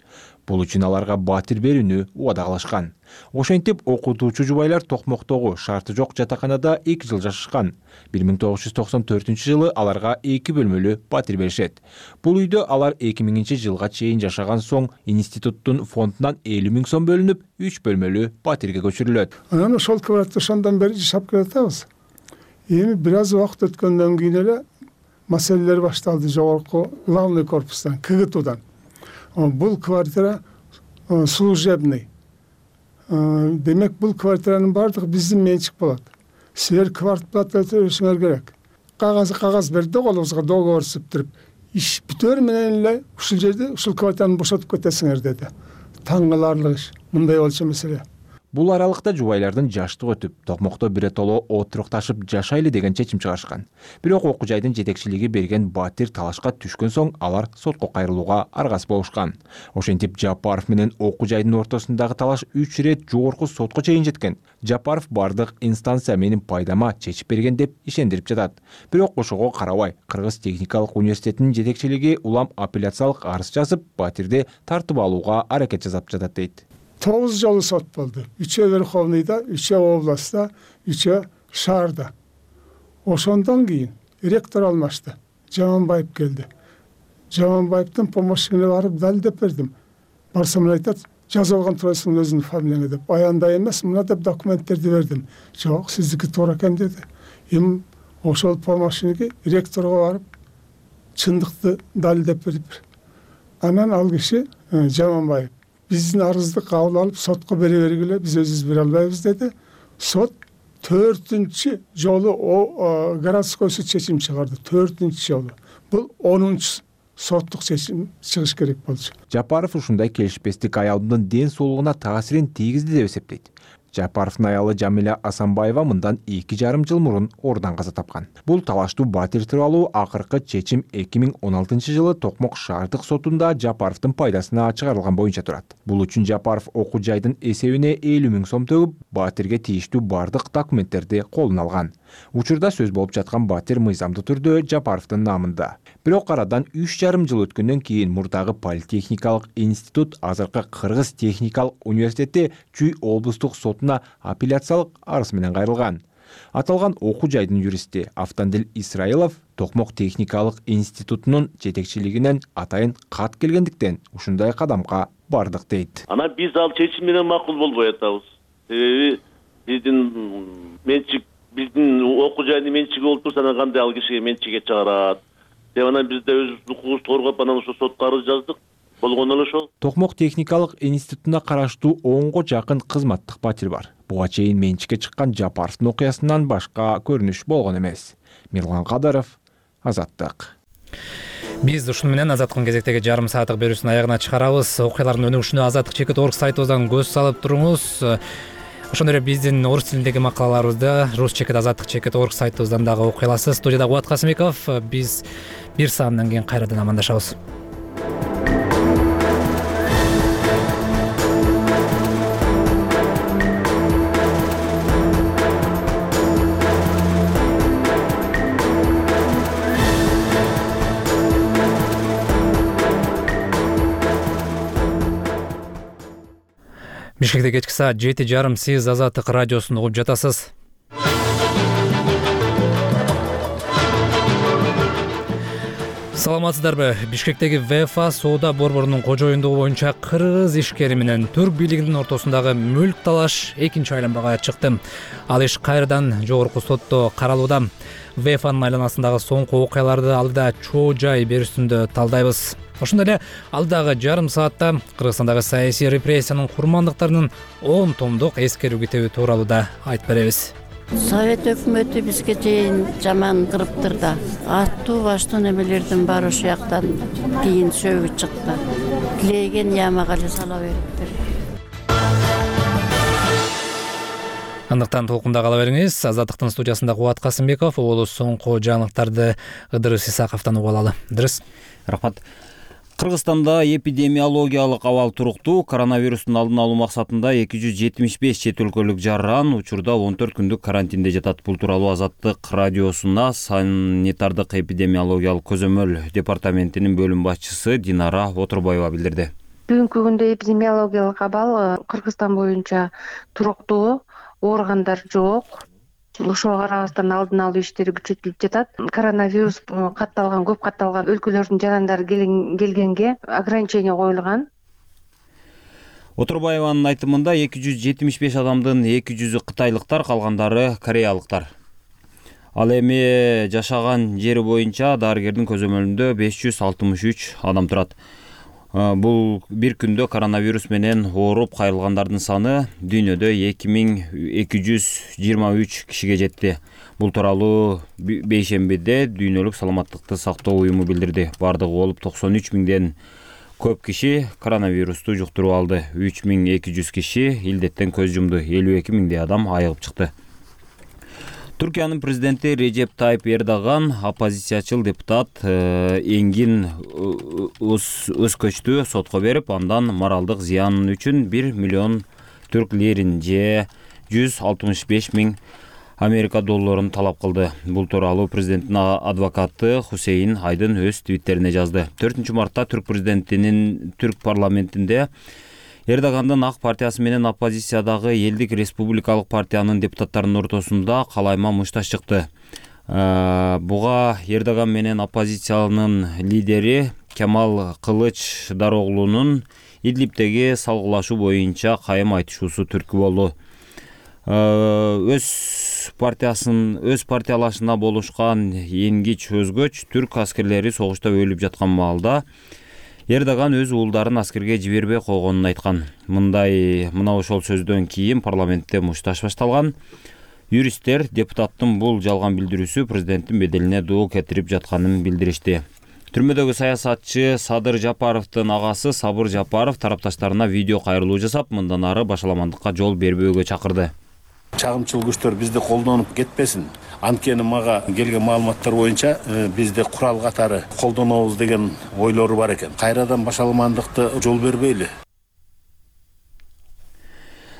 Бул үчүн аларга батир берүүнү убада кылышкан. Ошентип окутуучу жубайлар Токмоктогу шарты жок жатаканада 2 жыл жашашкан. 1994 жылы аларга 2 бөлмөлүү батир беришет. Бул үйдө алар 2000 жылга чейин жашаган соң институттун фондунан 50 000 сом бөлүнүп 3 бөлмөлүү батирге көчүрүлөт. Анан ошол квартирада ошондон бери жашап келатабыз. Эми бир аз убакыт өткөндөн кийин эле маселелер башталды жогорку главный корпустан, КГТУдан. Бул квартира служебный. Демек бул квартиранын бардыгы биздин менчик болот. Силер квартплата төлөшүңөр керек. Кагаз берди колубузга, договор түзүп туруп, иш бүтөр менен эле ушул жерде ушул квартираны бошотуп кетесиңер деди. Таң каларлык иш. Мындай болчу маселе. Бул аралыкта жубайлардын жаштыгы өтүп, Токмокто биротоло отурукташып жашайлы деген чечим чыгарышкан. Бирок окуу жайдын жетекчилиги берген батир талашка түшкөн соң алар сотко кайрылууга аргасыз болушкан. Ошентип Жапаров менен окуу жайдын ортосундагы талаш 3 ирет жогорку сотко чейин жеткен. Жапаров бардык инстанция менин пайдама чечип берген деп ишендирип жатат. Бирок ошого карабай, Кыргыз техникалык университетинин жетекчилиги улам апелляциялык арыз жазып, батирди тартып алууга аракет жасап жатат дейт. 9 жолу сот болду. 3 Верховныйда, 3 областта, 3 шаарда. Ошондон кийин ректор алмашты. Жаманбаев келди. Жаманбаевдин помощнине барып далилдеп бердим. Барсам айтат, жазып алган турасың өзүнүн фамилияңа деп. Аяндай эмес, мына деп документтерди бердим. Жок, сиздики туура экен деди. Эми ошол помощниге ректорго барып чындыкты далилдеп берип. Анан ал киши Жаманбаев биздин арызды кабыл алып сотко бере бергиле, биз өзүбүз бере албайбыз деди. Сот 4-чү жолу городской суд чечим чыгарды. 4-чү жолу. Бул 10-чу соттук чечим чыгыш керек болчу. Жапаров ушундай келишпестик аялдын ден соолугуна таасирин тийгизди деп эсептейт. Жапаровдун аялы Жамиля Асанбаева мындан 2,5 жыл мурун оорудан каза тапкан. Бул талаштуу батир тууралуу акыркы чечим 2016 жылы Токмок шаардык сотунда Жапаровдун пайдасына чыгарылган боюнча турат. Бул үчүн Жапаров окуу жайдын эсебине 50 000 сом төгүп, батирге тийиштүү бардык документтерди колуна алган. Учурда сөз болуп жаткан батир мыйзамдуу түрдө Жапаровдун намында. Бирок арадан 3,5 жыл өткөндөн кийин мурдагы политехникалык институт азыркы Кыргыз техникалык университети Чүй облустук сотуна апелляциялык арыз менен кайрылган. Аталган окуу жайдын юристи Автандил Исраилов Токмок техникалык институтунун жетекчилигинен атайын кат келгендиктен ушундай кадамга бардык дейт. Ана биз ал чечим менен макул болбой атабыз. Себеби биздин окуу жайдын менчиги болуп турса, кандай ал кишиге менчикке чыгарат? деп анан биз да өз укугубузду коргоп анан ошо сотко арыз жаздык. Болгон эле ошол. Токмок техникалык институтуна караштуу 10го жакын кызматтык батир бар. Буга чейин менчикке чыккан Жапаровдун окуясынан башка көрүнүш болгон эмес. Мирлан Кадыров, Азаттык. Биз ушуну менен Азаттыктын кезектеги жарым сааттык берүүсүнүн аягына чыгарабыз. Окуялардын өнүгүшүнө azattik.org сайтыбыздан көз салып туруңуз. Ошондой эле биздин орус тилиндеги макалаларыбызды rus.azattik.org сайтыбыздан дагы окуй аласыз. Студияда Кубат Касымбеков. Биз 1 сааттан кийин кайрадан амандашабыз. Бишкекте кечки саат 7:30 сиз Азаттык радиосун угуп жатасыз. Саламатсыздарбы? Бишкектеги ВФА соода борборунун кожоюндугу боюнча кыргыз ишкери менен түрк бийлигинин ортосундагы мүлк талаш экинчи айланмага чыкты. Ал иш кайрадан жогорку сотто каралууда. ВФАнын айланасындагы соңку окуяларды алдыда чоо жай берүүсүндө талдайбыз. Ошондой эле алдыдагы жарым саатта Кыргызстандагы саясий репрессиянын курмандыктарынын 10 томдук эскерүү китеби тууралуу да айтып беребиз. Совет өкмөтү бизге чейин жаман кырыптыр да. Аттуу баштуу немелердин баары ошол жактан кийин сөгүп чыкты. Тилеген ямага эле сала бериптир. Андыктан толкунда кала бериңиз. Азаттыктын студиясында Кубат Касымбеков, уулу соңку жаңылыктарды Ыдырыс Исаковдон угуп алалы. Ыдырыс. Рахмат. Кыргызстанда эпидемиологиялык абал туруктуу. Коронавирустун алдын алуу максатында 275 чет өлкөлүк жаран учурда 14 күндүк карантинде жатат. Бул тууралуу Азаттык радиосуна санитардык эпидемиологиялык көзөмөл департаментинин бөлүм башчысы Динара Отурбаева билдирди. Бүгүнкү күндө эпидемиологиялык абал Кыргызстан боюнча туруктуу, ооругандар жок. Ошого карабастан алдын алуу иштери күчөтүлүп жатат. Коронавирус катталган, көп катталган өлкөлөрдүн жарандары келгенге ограничение коюлган. Отурбаеванын айтымында 275 адамдын 200-ü кытайлыктар, калгандары кореялыктар. Ал эми жашаган жери боюнча дарыгердин көзөмөлүндө 563 адам турат. Бул бир күндө коронавирус менен ооруп кайрылгандардын саны дүйнөдө 2223 кишиге жетти. Бул тууралуу бейшембиде Дүйнөлүк саламаттыкты сактоо уюму билдирди. Бардыгы болуп 93 миңден көп киши коронавирусту жуктуруп алды. 3200 киши илдеттен көз жумду. 52 миңдей адам айыгып чыкты. Түркиянын президенти Режеп Тайып Эрдоган оппозициячыл депутат Энгин Өзкөчтү сотко берип, андан моралдык зыян үчүн 1 миллион түрк лирин же 165 миң Америка долларын талап кылды. Бул тууралуу президенттин адвокаты Хусейин Айдын өз твиттерине жазды. 4 мартта түрк президентинин түрк парламентинде Эрдогандын ак партиясы менен оппозициядагы Элдик республикалык партиянын депутаттарынын ортосунда калайма мушташ чыкты. Буга Эрдоган менен оппозициянын лидери Кемал Кылыч Дароглунун Идлибтеги салгылашуу боюнча кайым айтышуусу түрткү болду. Өз партиялашына болушкан Энгич Өзгөч түрк аскерлери согушта өлүп жаткан маалда Эрдоган өз уулдарын аскерге жибербей койгонун айткан. Мына ошол сөздөн кийин парламентте мушташ башталган. Юристтер депутаттын бул жалган билдирүүсү президенттин беделине доо кетирип жатканын билдиришти. Түрмөдөгү саясатчы Садыр Жапаровдун агасы Сабыр Жапаров тарапташтарына видео кайрылуу жасап, мындан ары башаламандыкка жол бербөөгө чакырды. Чагымчыл күчтөр бизди колдонуп кетпесин. Анткени мага келген маалыматтар боюнча бизди курал катары колдонобуз деген ойлору бар экен. Кайрадан башаламандыкты жол бербейли.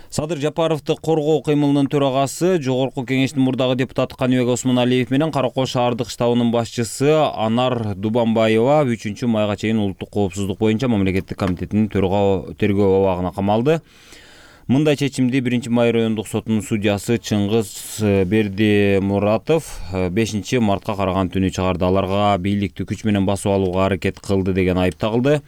Садыр Жапаровду коргоо кыймылынын төрагасы, Жогорку кеңештин мурдагы депутаты Каныбек Осмоналиев менен Кара Кол шаардык штабынын башчысы Анар Дубанбаева 3 майга чейин улуттук коопсуздук боюнча мамлекеттик комитетинин тергөө абагына камалды. Мындай чечимди 1 май райондук сотунун судьясы Чыңгыз Бердимуратов 5 мартка караган түнү чыгарды. Аларга бийликти күч менен басып алууга аракет кылды деген айып тагылды.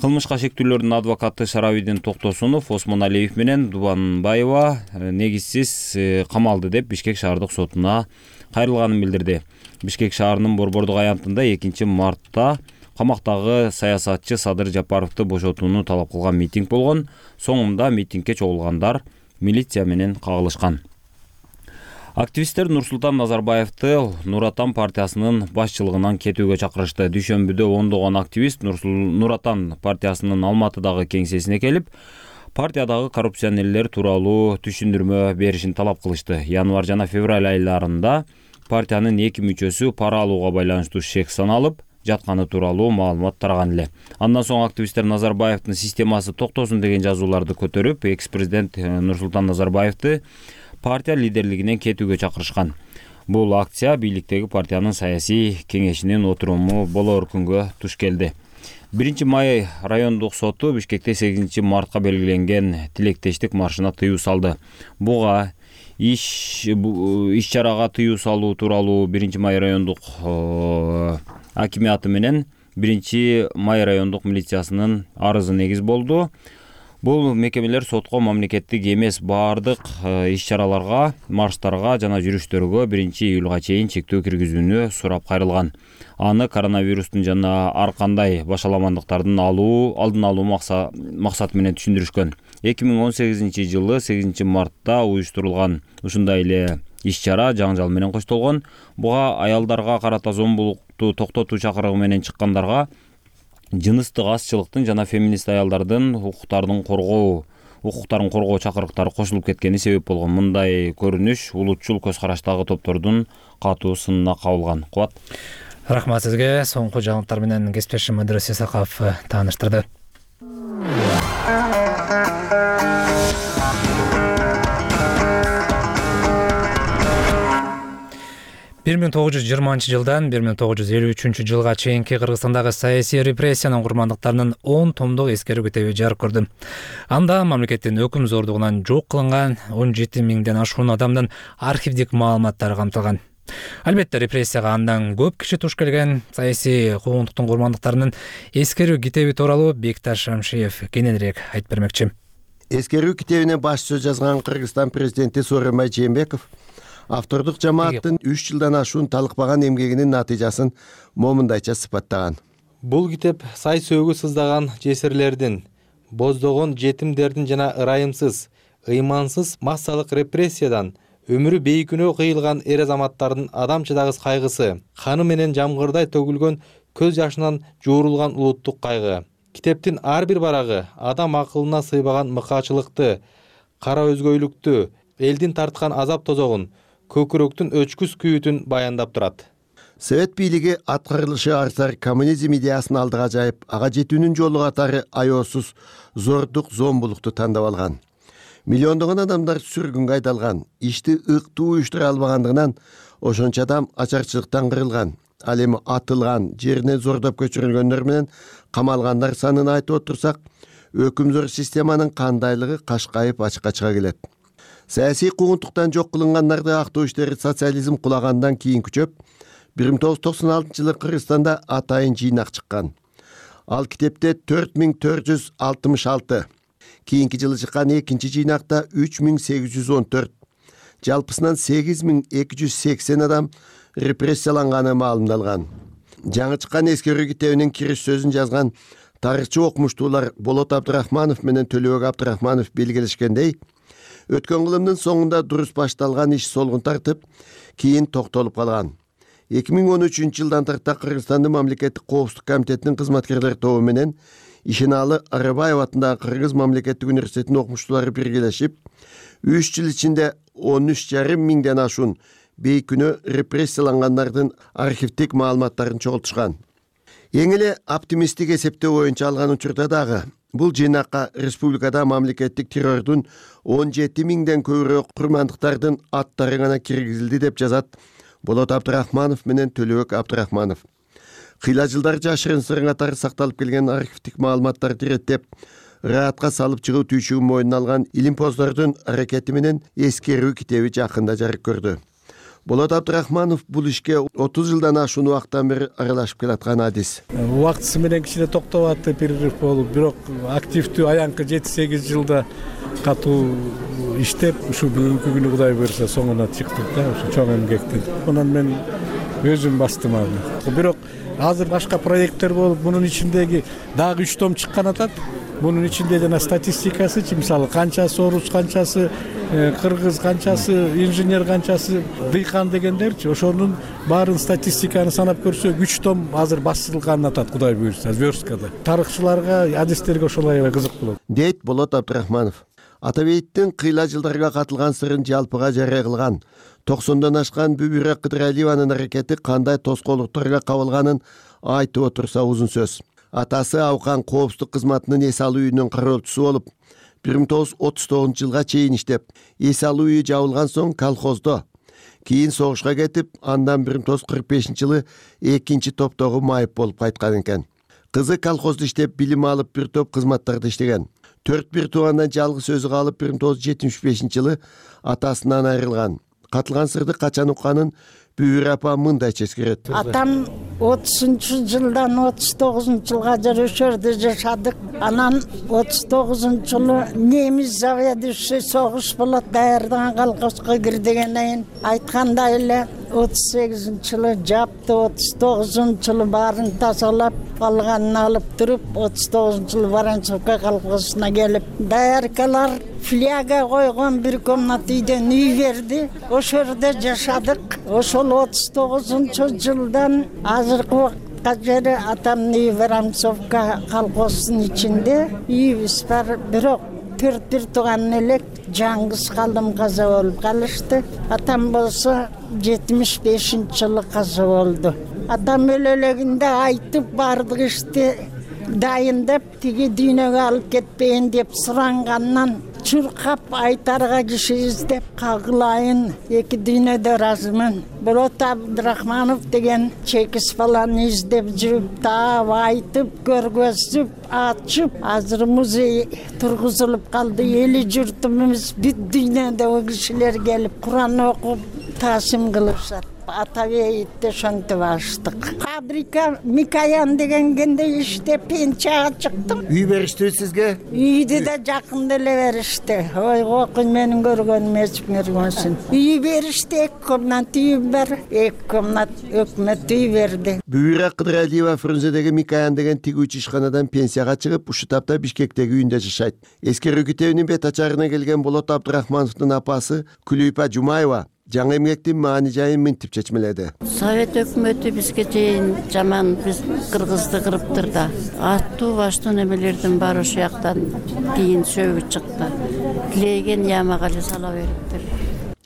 Кылмышка шектүүлөрдүн адвокаты Шаравидин Токтосунов Осмоналиев менен Дубанбаева негизсиз камалды деп Бишкек шаардык сотуна кайрылганын билдирди. Бишкек шаарынын Борбордук аянтында 2-мартта камактагы саясатчы Садыр Жапаровду бошотууну талап кылган митинг болгон. Соңунда митингге чогулгандар милиция менен кагылышкан. Активисттер Нурсултан Назарбаевди Нур Отан партиясынын башчылыгынан кетүүгө чакырышты. Дүйшөмбүдө ондогон активист Нур Отан партиясынын Алматыдагы кеңсесине келип, партиядагы коррупционерлер тууралуу түшүндүрмө беришин талап кылышты. Январь жана февраль айларында партиянын 2 мүчөсү пара алууга байланыштуу шек саналып жатканы тууралуу маалымат тараган эле. Андан соң активисттер Назарбаевдин системасы токтосун деген жазууларды көтөрүп, экс-президент Нурсултан Назарбаевди партия лидерлигинен кетүүгө чакырышкан. Бул акция бийликтеги партиянын саясий кеңешинин отуруму болоор күнгө туш келди. 1-май райондук соту Бишкекте 8-мартка белгиленген тилектештик маршына тыюу салды. Буга иш-чарага тыюу салуу тууралуу 1-май райондук акимиаты менен 1-май райондук милициясынын арызы негиз болду. Бул мекемелер сотко мамлекеттик эмес баардык иш-чараларга, марштарга жана жүрүштөргө 1-июлга чейин чектөө киргизүүнү сурап кайрылган. Аны коронавирустун жана ар кандай башаламандыктардын алдын алуу максаты менен түшүндүрүшкөн. 2018-жылы 8-мартта уюштурулган ушундай эле иш-чара жаңжал менен коштолгон. Буга аялдарга карата зомбулукту токтотуу чакырыгы менен чыккандарга жыныстык азчылыктын жана феминист аялдардын укуктарын коргоо чакырыктары кошулуп кеткени себеп болгон. Мындай көрүнүш улутчул көз караштагы топтордун катуу сынына кабылган. Кубат. Рахмат сизге. Соңку жаңылыктар менен кесиптешим Мадырес Исаков тааныштырды. 1920-жылдан 1953-жылга чейинки Кыргызстандагы саясий репрессиянын курмандыктарынын 10 томдук эскерүү китеби жарык көрдү. Анда мамлекеттин өкүм зордугунан жок кылынган 17 миңден ашуун адамдын архивдик маалыматтары камтылган. Албетте репрессияга андан көп киши туш келген. Саясий куугунтуктун курмандыктарынын эскерүү китеби тууралуу Бекташ Шамшиев кененирээк айтып бермекчи. Эскерүү китебине баш сөз жазган Кыргызстан президенти Сооронбай Жээнбеков автордук жамааттын 3 жылдан ашуун талыкпаган эмгегинин натыйжасын момундайча сыпаттаган. Бул китеп сай сөөгү сыздаган жесирлердин, боздогон жетимдердин жана ырайымсыз, ыймансыз массалык репрессиядан өмүрү бейкүнөө кыйылган эр азаматтардын адамчыдагыс кайгысы, каны менен жамгырдай төгүлгөн көз жашынан жуурулган улуттук кайгы. Китептин ар бир барагы адам акылына сыйбаган мыкаачылыкты, кара өзгөйлүктү, элдин тарткан азап тозогун, көкүрөктүн өчкүс күйүтүн баяндап турат. Совет бийлиги аткарылышы арзар коммунизм идеясын алдыга жайып, ага жетүүнүн жолу катары аеосуз зордук, зомбулукту тандап алган. Миллиондогон адамдар сүргүнгө айдалган, ишти ыктуу уюштура албагандыгынан ошончо адам ачарчылыктан кырылган. Ал эми атылган, жеринен зордоп көчүрүлгөндөр менен камалгандар санын айтып отурсак, өкүмзор системанын кандайлыгы кашкайып ачыкка чыга келет. Саясий куугунтуктан жок кылынгандарды актоо иштери социализм кулагандан кийин күчөп, 1996-жылы Кыргызстанда атайын жыйнак чыккан. Ал китепте 4466, кийинки жылы чыккан экинчи жыйнакта 3814, жалпысынан 8280 адам репрессияланганы маалымдалган. Жаңы чыккан эскерүү китебинин кириш сөзүн жазган тарыхчы окумуштуулар Болот Абдрахманов менен Төлөбек Абдрахманов белгилешкендей, өткөн кылымдын соңунда дурус башталган иш солгун тартып, кийин токтолуп калган. 2013-жылдан тарта Кыргызстандын мамлекеттик коопсуздук комитетинин кызматкерлер тобу менен Ишеналы Арабаев атындагы Кыргыз мамлекеттик университетинин окумуштуулары биргелешип, 3 жыл ичинде 13,5 миңден ашуун бейкүнөө репрессиялангандардын архивдик маалыматтарын чогултушкан. Эң эле оптимисттик эсептөө боюнча алган учурда дагы бул жыйнакка республикада мамлекеттик террордун 17 миңден көбүрөөк курмандыктардын аттары гана киргизилди деп жазат Болот Абдрахманов менен Төлөбек Абдрахманов. Кыйла жылдар жашырын сырың катары сакталып келген архивдик маалыматтарды иреттеп, ыраатка салып чыгуу түйшүгүн мойнуна алган илимпоздордун аракети менен эскерүү китеби жакында жарык көрдү. Болот Абдрахманов бул ишке 30 жылдан ашуун убакыттан бери аралашып келаткан адис. Убактысы менен кичине токтоп атты, перерыв болуп, бирок активдүү аянкы 7-8 жылда катуу иштеп, ушу бүгүнкү күнү Кудай буйруса соңуна чыктык да, ушу чоң эмгектин. Анан мен өзүм бастым аны. Бирок азыр башка проекттер болуп, мунун ичиндеги дагы 3 том чыккан атат. Мунун ичинде жана статистикасычы, мисалы канчасы орус, канчасы кыргыз, канчасы инженер, канчасы дыйкан дегендерчи, ошонун баарын статистиканы санап көрсөк 3 том азыр басылган атат, Кудай буйрса, версткада. Тарыхчыларга, адистерге ошол аябай кызык болот. Дейт Болот Абдрахманов. Атабейттин кыйла жылдарга катылган сырын жалпыга жарыя кылган 90дон ашкан Бүбүрө Кыдыралиеванын аракети кандай тоскоолдуктарга кабылганын айтып отурса узун сөз. Атасы Аукан коопсуздук кызматынын эс алуу үйүнүн кароочусу болуп, 1939-жылга чейин иштеп, эс алуу үйү жабылган соң колхоздо, кийин согушка кетип, андан 1945-жылы 2 топтогу майып болуп кайткан экен. Кызы колхоздо иштеп, билим алып, бир топ кызматтарда иштеген. 4 туугандан жалгыз өзү калып, 1975-жылы атасынан айрылган. Катылган сырды качан укканын Бүбүрө апа мындайча эскерет. Атам 30-жылдан 39-жылга Өшөрдө жашадык. Анан 39-жылы немис заведующий согуш болот, даярдаган колхозго кир дегенден айткандай эле 38-жылы жапты, 39-жылы баарын тазалап, калганын алып туруп, 39-жылы Воронцовка колхозуна келип, даяркалар фляга койгон бир комната үйдөн үй берди. Ошордо жашадык. Ошол 39-жылдан азыркы убакытка жери атамдын үйү Воронцовка колхозунун ичинде үйүбүз бар. Бирок 4 тууган элек жаңгыз калдым, каза болуп калышты. Атам болсо 75-жылы каза болду. Атам өлөлөгүндө айтып бардык ишти дайындап, тиги дүйнөгө алып кетпейин деп сурангандан чуркап айтарга киши издеп кагылайын, эки дүйнөдө ыраазымын. Болот Абдрахманов деген чекис баланы издеп жүрүп, таап, айтып, көргөзүп, ачып, азыр музей тургузулуп калды. Эли журтубуз бүт дүйнөдөгү кишилер келип, Куран окуп, таасим кылышат. Атабейитте ошентип ачтык. Фабрика Микаян дегенде иштеп пенчага чыктым. Үй бериштиби сизге? Үйдү да жакында эле беришти. Ой, окун менин көргөнүм эч көргөнсүн. Үй беришти, 2 комната үй бар, 2 комната өкмөт үй берди. Бүбүрө Кыдыралиева Фрунзедеги Микаян деген тигүүчү ишканадан пенсияга чыгып, ушу тапта Бишкектеги үйүндө жашайт. Эскерүү китебинин бет ачарына келген Болот Абдрахмановдун апасы Күлүйпа Жумаева жаңы эмгектин маани жайын мынтип чечмеледи. Совет өкмөтү бизге чейин жаман биз кыргызды кырыптыр да. Аттуу баштуу немелердин баары ошол жактан кийин сөгүп чыкты. Тилеген ямага эле сала бериптир.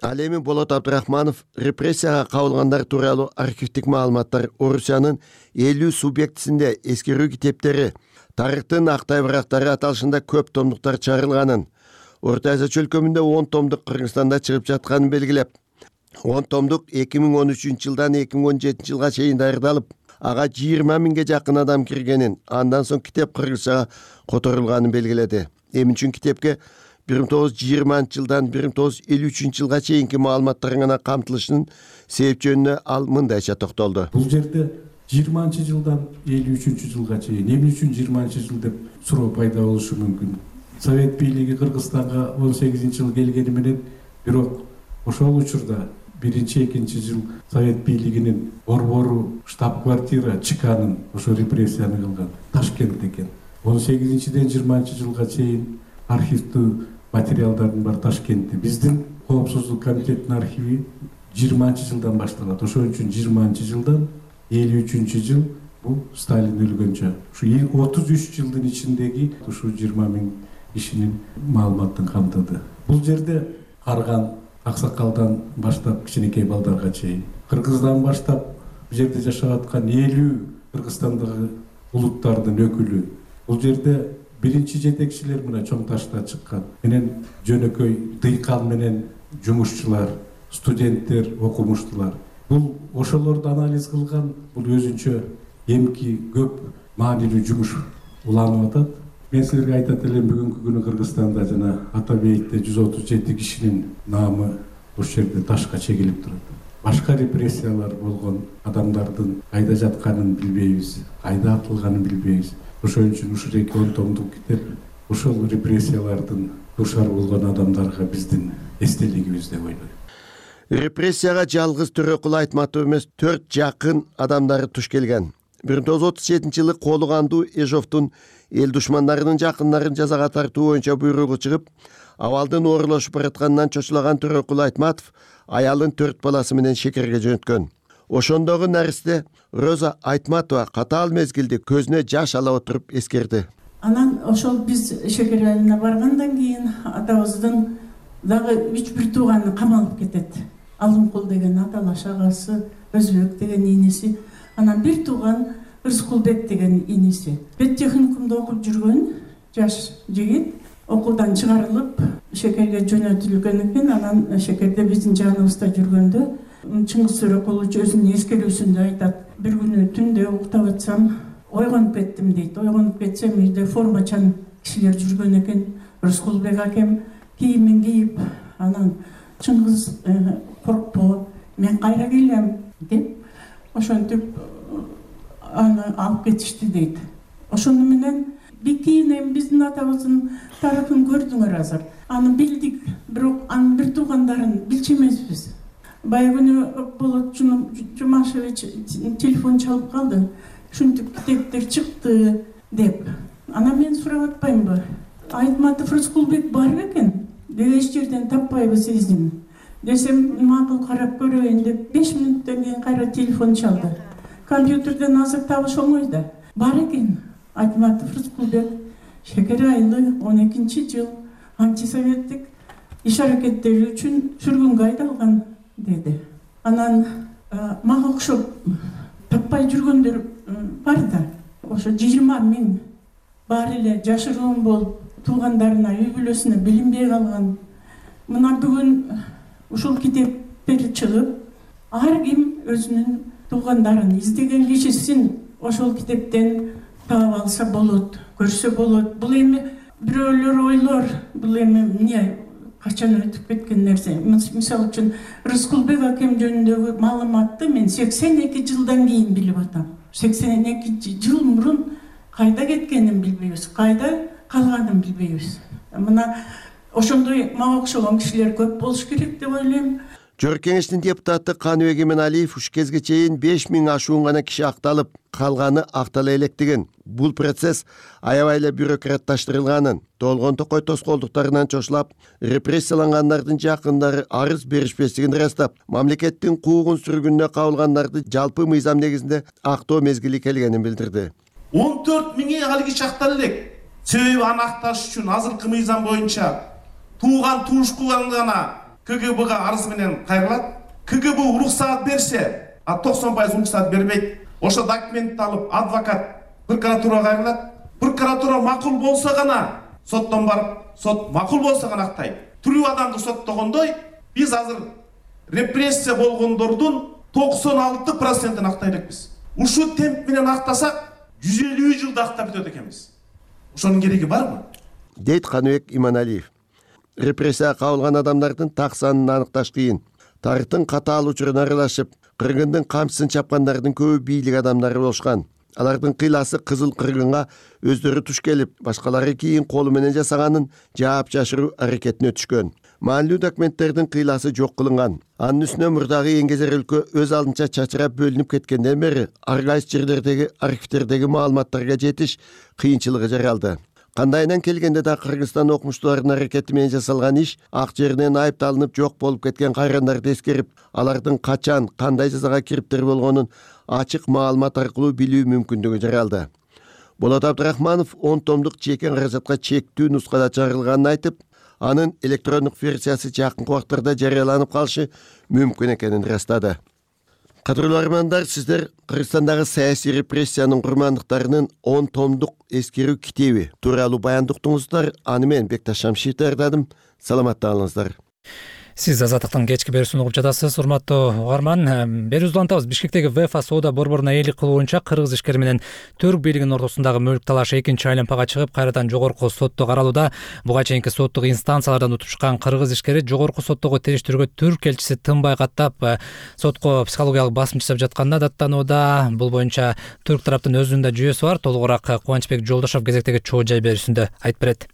Ал эми Болот Абдрахманов репрессияга кабылгандар тууралуу архивдик маалыматтар Орусиянын 50 субъектисинде эскерүү китептери, тарыхтын актай барактары аталышында көп томдуктар чыгарылганын, Орто Азия чөлкөмүндө 10 томдук Кыргызстанда чыгып жатканын белгилеп, 10 томдук 2013-жылдан 2017-жылга чейин даярдалып, ага 20 миңге жакын адам киргенин, андан соң китеп кыргызчага которулганын белгиледи. Эми үчүн китепке 1920-жылдан 1953-жылга чейинки маалыматтар гана камтылышынын себеп жөнүнө ал мындайча токтолду. Бул жерде 20-жылдан 53-жылга чейин эмне үчүн 20-жыл деп суроо пайда болушу мүмкүн. Совет бийлиги Кыргызстанга 18-жылы келгени менен, бирок ошол учурда 1-2 жыл Совет бийлигинин борбору штаб-квартира ЧКнын ошо репрессияны кылган Ташкент экен. 18-ден 20-жылга чейин архивдүү материалдардын бар Ташкентте. Биздин коопсуздук комитетинин архиви 20-жылдан башталат. Ошон үчүн 20-жылдан 53-жыл бул Сталин өлгөнчө. Ушу 33 жылдын ичиндеги ушу 20 миң кишинин маалыматын камтыды. Бул жерде Карган Аксакалдан баштап кичинекей балдарга чейин, Кыргыздан баштап бул жерде жашап аткан 50 Кыргызстандагы улуттардын өкүлү. Бул жерде биринчи жетекчилер мына чоң ташта чыккан. Менен жөнөкөй дыйкан менен жумушчулар, студенттер, окумуштуулар. Бул ошолорду анализ кылган, бул өзүнчө эмки көп маанилүү жумуш уланып атат. Мен силерге айтат элем, бүгүнкү күнү Кыргызстанда жана Атабейитте 137 кишинин наамы ошол жерде ташка чегилип турат. Башка репрессиялар болгон адамдардын кайда жатканын билбейбиз, кайда атылганын билбейбиз. Ошон үчүн ушул 10 томдук китеп ошол репрессиялардын душар болгон адамдарга биздин эстелигибиз деп ойлойм. Репрессияга жалгыз Төрөкул Айтматов эмес 4 жакын адамдары туш келген. 1937-жылы колу кандуу Эжовдун эл душмандарынын жакындарын жазага тартуу боюнча буйругу чыгып, абалдын оорлошуп баратканынан чочулаган Төрөкул Айтматов аялын 4 баласы менен шекерге жөнөткөн. Ошондогу наристе Роза Айтматова катаал мезгилди көзүнө жаш ала отуруп эскерди. Анан ошол биз шекер айылына баргандан кийин атабыздын дагы 3-1 тууганы камалып кетет. Алымкул деген аталаш агасы, Өзбек деген иниси, анан бир тууган Рыскулбек деген иниси. Педтехникумда окуп жүргөн жаш жигит окуудан чыгарылып шекерге жөнөтүлгөн экен. Анан шекерде биздин жаныбызда жүргөндө Чыңгыз Төрөкулович өзүнүн эскерүүсүндө айтат: бир күнү түндө уктап атсам ойгонуп кеттим дейт. Ойгонуп кетсем үйдө формачан кишилер жүргөн экен. Рыскулбек акем кийимин кийип, анан Чыңгыз коркпо, мен кайра келем деп, ошентип аны алып кетишти дейт. Ошону менен бикинем биздин атабыздын тарыхын көрдүңөр азыр. Аны билдик, бирок анын бир туугандарын билчү эмеспиз. Бая күнү Болот Жумашевич телефон чалып калды. Ушинтип китептер чыкты деп. Анан мен сурап атпаймынбы? Айтматов Рыскулбек бар экен. Деги эч жерден таппайбыз изин. Десем, макул карап көрөйүн деп 5 мүнөттөн кийин кайра телефон чалды. Компьютерден азыр табыш оңой да. Бар экен. Айтматов Рыскулбек шекер айылы 12-жыл антисоветтик иш аракеттери үчүн сүргүнгө айдалган деди. Анан мага окшоп таппай жүргөндөр бар да. Ошо 20 000 бар эле жашыруун болуп туугандарына, үй бүлөсүнө билинбей калган. Мына бүгүн ушул китептер чыгып, ар ким өзүнүн туугандарын издеген кишисин ошол китептен таап алса болот, көрсө болот. Бул эми бирөөлөр ойлор, бул эми эмне качан өтүп кеткен нерсе. Мисалы үчүн Рыскулбек акем жөнүндөгү маалыматты мен 82 жылдан кийин билип атам. 82 жыл мурун кайда кеткенин билбейбиз, кайда калганын билбейбиз. Мына ошондой мага окшогон кишилер көп болуш керек деп ойлойм. Жогорку кеңештин депутаты Каныбек Эменалиев уш кезге чейин 5000 ашуун гана киши акталып, калганы актала элек деген. Бул процесс аябай эле бюрократташтырылганын, толгон токой тоскоолдуктарынан чочулап, репрессиялангандардын жакындары арыз беришпестигин ырастап, мамлекеттин куугун сүргүнүнө кабылгандарды жалпы мыйзам негизинде актоо мезгили келгенин билдирди. 14 000 алги чактала элек. Себеби аны акташ үчүн азыркы мыйзам боюнча тууган туушкулдан гана КГБга арыз менен кайрылат. КГБ уруксаат берсе, 90% уруксаат бербейт. Ошо документти алып адвокат прокуратурага кайрылат. Прокуратура макул болсо гана соттон барып, сот макул болсо гана актайт. Тирүү адамды соттогондой, биз азыр репрессия болгондордун 96%-ын актай элекпиз. Ушу темп менен актасак 150 жылда актап бүтөт экенбиз. Ошонун кереги барбы? Дейт Каныбек Иманалиев. Репрессияга кабылган адамдардын так санын аныкташ кыйын. Тарыхтын катаал учуруна аралашып, кыргындын камчысын чапкандардын көбү бийлик адамдары болушкан. Алардын кыйласы кызыл кыргынга өздөрү туш келип, башкалары кийин колу менен жасаганын жаап жашыруу аракетине түшкөн. Маанилүү документтердин кыйласы жок кылынган. Анын үстүнө мурдагы эңгезер өлкө өз алдынча чачырап бөлүнүп кеткенден бери ар кайсы жерлердеги архивтердеги маалыматтарга жетиш кыйынчылыгы жаралды. Кандайынан келгенде да Кыргызстан окумуштууларынын аракети менен жасалган иш ак жеринен айыпталынып жок болуп кеткен кайрандарды эскерип, алардын качан, кандай жазага кириптер болгонун ачык маалымат аркылуу билүү мүмкүндүгү жаралды. Болот Абдрахманов 10 томдук чекин каражатка чектүү нускада чыгарылганын айтып, анын электрондук версиясы жакынкы убактарда жарыяланып калышы мүмкүн экенин ырастады. Кадырлуу армандар, сиздер Кыргызстандагы саясий репрессиянын курмандыктарынын 10 томдук эскерүү китеби тууралуу баянды уктуңуздар. Аны мен Бекташ Шамшиев даярдадым. Саламатта калыңыздар. Сиз Азаттыктын кечки берүүсүн угуп жатасыз, урматтуу угарман. Берүүбүздү улантабыз. Бишкектеги ВЭФА соода борборуна ээлик кылуу боюнча кыргыз ишкери менен Түрк бийлигинин ортосундагы мүлк талашы экинчи айлампага чыгып, кайрадан жогорку сотто каралууда. Буга чейинки соттук инстанциялардан утуп чыккан кыргыз ишкери жогорку соттогу териштирүүгө Түрк элчиси тынбай каттап, сотко психологиялык басым жасап жатканына даттанууда. Бул боюнча Түрк тараптын өзүнүн да жүйөсү бар. Толугураак Кубанычбек Жолдошов кезектеги чоо жай берүүсүндө айтып берет.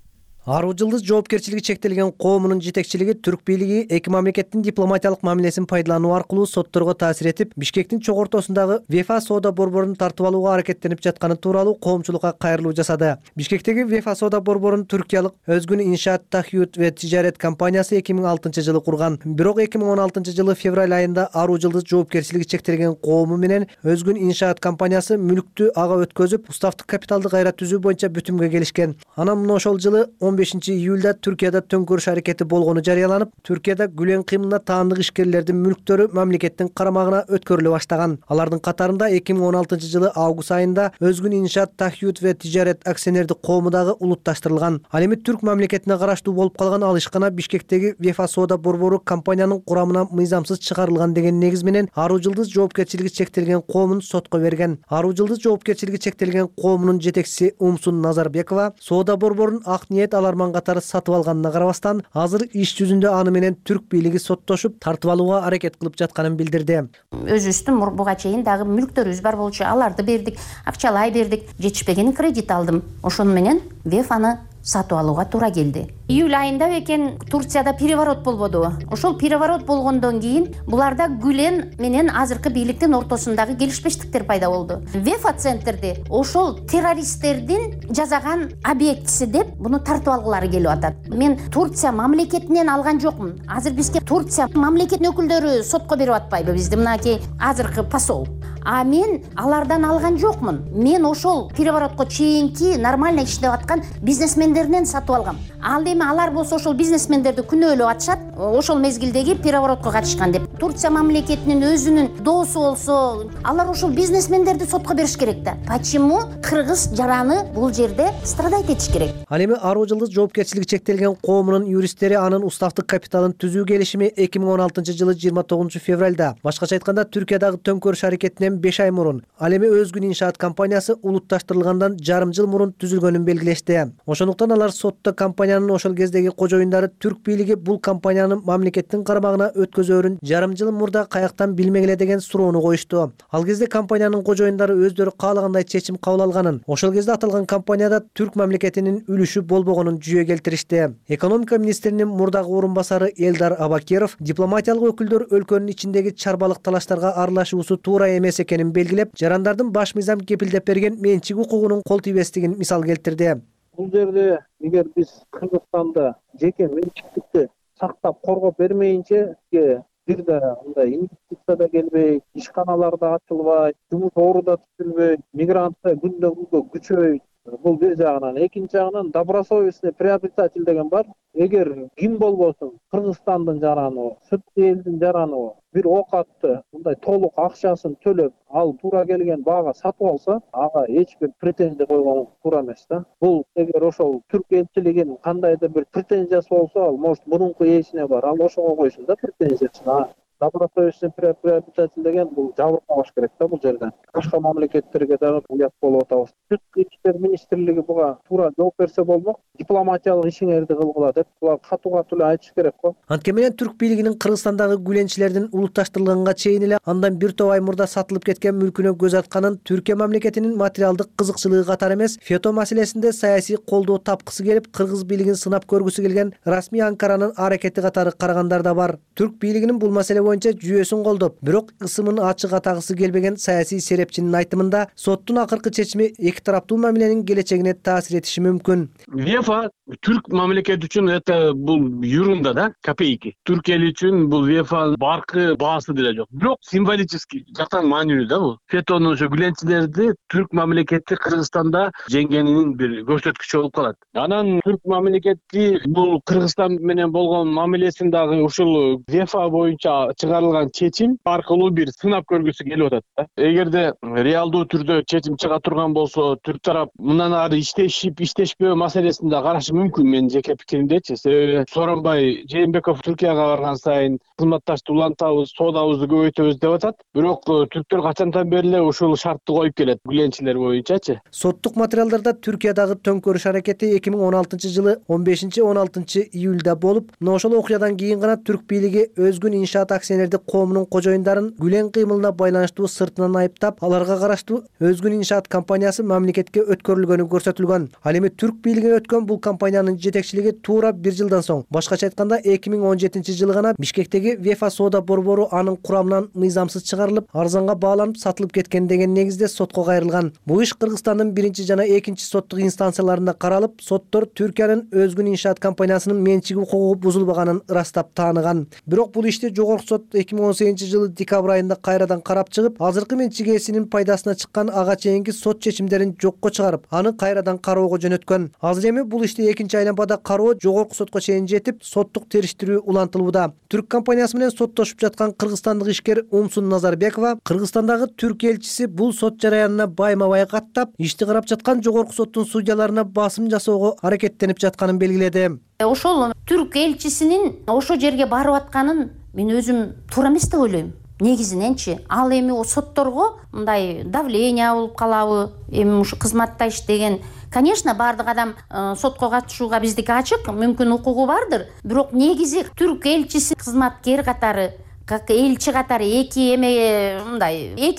Аруу жылдыз жоопкерчилиги чектелген коомунун жетекчилиги түрк бийлиги эки мамлекеттин дипломатиялык мамилесин пайдалануу аркылуу сотторго таасир этип, Бишкектин чоң ортосундагы ВЕФА соода борборун тартып алууга аракеттенип жатканы тууралуу коомчулукка кайрылуу жасады. Бишкектеги ВЕФА соода борборун түркиялык Өзгүн Иншаат Тахьют ве Тижарет компаниясы 2006-жылы курган. Бирок 2016-жылы февраль айында Аруу жылдыз жоопкерчилиги чектелген коому менен Өзгүн Иншаат компаниясы мүлктү ага өткөзүп, уставдык капиталды кайра түзүү боюнча бүтүмгө келишкен. Анан мына ошол жылы 15-июлда Түркияда төңкөрүш аракети болгону жарыяланып, Түркияда Гүлен кыймылына таандык ишкерлердин мүлктөрү мамлекеттин карамагына өткөрүлө баштаган. Алардын катарында 2016-жылы август айында Өзгүн Иншаат Тахьют ве Тижарет акционердик коому дагы улутташтырылган. Ал эми түрк мамлекетине караштуу болуп калган ал ишкана Бишкектеги ВЕФА соода борбору компаниянын курамынан мыйзамсыз чыгарылган деген негиз менен Аруу жылдыз жоопкерчилиги чектелген коомун сотко берген. Аруу жылдыз жоопкерчилиги чектелген коомунун жетекчиси Умсун Назарбекова соода борборун ак ниет аларман катары сатып алганына карабастан, азыр иш жүзүндө аны менен түрк бийлиги соттошуп, тартып алууга аракет кылып жатканын билдирди. Өзүбүздүн буга чейин дагы мүлктөрүбүз бар болчу, аларды бердик, акчалай бердик, жетишпеген кредит алдым. Ошону менен ВЕФАны сатып алууга туура келди. Июль айында экен Турцияда переворот болбоду. Ошол переворот болгондон кийин буларда Гүлен менен азыркы бийликтин ортосундагы келишпештиктер пайда болду. ВЕФА центрди ошол террористтердин жасаган объектиси деп буну тартып алгылары келип атат. Мен Турция мамлекетинен алган жокмун. Азыр бизге Турция мамлекетинин өкүлдөрү сотко берип атпайбы бизди мынакей азыркы посол. А мен алардан алган жокмун. Мен ошол переворотко чейинки нормально иштеп аткан бизнесмендерден сатып алгам. Ал эми алар болсо ошол бизнесмендерди күнөөлөп атышат, ошол мезгилдеги переворотко катышкан деп. Турция мамлекетинин өзүнүн доосу болсо, алар ошол бизнесмендерди сотко бериш керек да. Почему кыргыз жараны бул жерде страдать этиш керек? Ал эми Аруу жылдыз жоопкерчилиги чектелген коомунун юристтери анын уставдык капиталын түзүү келишими 2016-жылы 29-февралда, башкача айтканда Түркиядагы төңкөрүш аракетинен 5 ай мурун, ал эми Өзгүн Иншаат компаниясы улутташтырылгандан жарым жыл мурун түзүлгөнүн белгилешти. Ошондуктан алар сотто компаниянын ошол кездеги кожоюндары түрк бийлиги бул компаниянын мамлекеттин карамагына өткөзөөрүн жарым жыл мурда каяктан билмек эле деген суроону коюшту. Ал кезде компаниянын кожоюндары өздөрү каалагандай чечим кабыл алганын, ошол кезде аталган компанияда түрк мамлекетинин үлүшү болбогонун жүйө келтиришти. Экономика министринин мурдагы орун басары Элдар Абакиров дипломатиялык өкүлдөр өлкөнүн ичиндеги чарбалык талаштарга аралашуусу туура эмес экенин белгилеп, жарандардын баш мыйзам кепилдеп берген менчик укугунун кол тийбестигин мисал келтирди. Бул жерде эгер биз Кыргызстанда жеке менчиктикти сактап коргоп бермейинче бир да мындай инвестиция да келбейт, ишканалар да ачылбайт, жумуш ору да түзүлбөйт, мигранттар күндөн күнгө күчөйт. Бул бир жагынан, экинчи жагынан добросовестный приобретатель деген бар. Эгер ким болбосун Кыргызстандын жараны, сырткы элдин жараны бир оокатты мындай толук акчасын төлөп, ал туура келген баага сатып алса, ага эч бир претензия койгон туура эмес да. Бул эгер ошол түрк элчилигинин кандайдыр бир претензиясы болсо, ал может мурунку ээсине бар, ал ошого койсун да претензиясын. Добросовестный приобретатель деген бул жабыркабаш керек да бул жерде. Башка мамлекеттерге дагы уят болуп атабыз. Сырткы иштер министрлиги буга туура жооп берсе болмок, дипломатиялык ишиңерди кылгыла деп булар катуу айтыш керек го. Анткени менен түрк бийлигинин Кыргызстандагы гүленчилердин улутташтырылганга чейин эле андан бир топ ай мурда сатылып кеткен мүлкүнө көз атканын, Түркия мамлекетинин материалдык кызыкчылыгы катары эмес, фето маселесинде саясий колдоо тапкысы келип, кыргыз бийлигин сынап көргүсү келген расмий Анкаранын аракети катары карагандар да бар. Түрк бийлигинин бул маселе боюнча жүйөсүн колдоп, бирок ысымын ачык атагысы келбеген саясий серепчинин айтымында, соттун акыркы чечими эки тараптуу мамиленин келечегине таасир этиши мүмкүн. ВЕФА түрк мамлекети үчүн это бул ерунда да, копейки. Түрк эли үчүн бул ВЕФА баркы баасы деле жок. Бирок символический жактан маанилүү да бул. Фетонун ошо гүленчилерди түрк мамлекети Кыргызстанда жеңгенинин бир көрсөткүчү болуп калат. Анан түрк мамлекети бул Кыргызстан менен болгон мамилесин дагы ушул ВЕФА боюнча чыгарылган чечим аркылуу бир сынап көргүсү келип атат да. Эгерде реалдуу түрдө чечим чыга турган болсо, түрк тарап мындан ары иштешип, иштешпөө маселесин да карашы мүмкүн менин жеке пикиримдечи. Себеби Сооронбай Жээнбеков Түркияга барган сайын кызматташты улантабыз, соодабызды көбөйтөбүз деп атат. Бирок түрктөр качандан бери эле ушул шартты коюп келет гүленчилер боюнчачы. Соттук материалдарда Түркиядагы төңкөрүш аракети 2016-жылы 15-16 июлда болуп, мына ошол окуядан кийин гана түрк бийлиги Өзгүн Иншаат акционердик коомунун кожоюндарын Гүлен кыймылына байланыштуу сыртынан айыптап, аларга караштуу Өзгүн иншаат компаниясы мамлекетке өткөрүлгөнү көрсөтүлгөн. Ал эми түрк бийлигине өткөн бул компаниянын жетекчилиги туура 1 жылдан соң, башкача айтканда 2017 жылы гана Бишкектеги Вефа соода борбору анын курамынан мыйзамсыз чыгарылып, арзанга бааланып сатылып кеткен деген негизде сотко кайрылган. Бул иш Кыргызстандын 1 жана 2 соттук инстанцияларында каралып, соттор Түркиянын Өзгүн иншаат компаниясынын менчиги укугу бузулбаганын ырастап тааныган. Бирок бул ишти жогорку сот 2018 жылы декабрь айында кайрадан карап чыгып, азыркы менчик ээсинин пайдасына чыккан ага чейинки сот чечимдерин жокко чыгарып, аны кайрадан кароого жөнөткөн. Азыр эми бул ишти экинчи айланмада кароо жогорку сотко чейин жетип, соттук териштирүү улантылууда. Түрк компаниясы менен соттошуп жаткан кыргызстандык ишкер Умсун Назарбекова Кыргызстандагы түрк элчиси бул сот жараянына байма-бай каттап, ишти карап жаткан жогорку соттун судьяларына басым жасоого аракеттенип жатканын белгиледи. Ошол түрк элчисинин ошо жерге барып атканын мен өзүм туура эмес деп ойлойм. Негизиненчи ал эми сотторго мындай давление болуп калабы, эми ушу кызматта иштеген. Конечно, бардык адам сотко катышууга биздики ачык, мүмкүн укугу бардыр. Бирок негизи түрк элчиси кызматкер катары, как элчи катары эки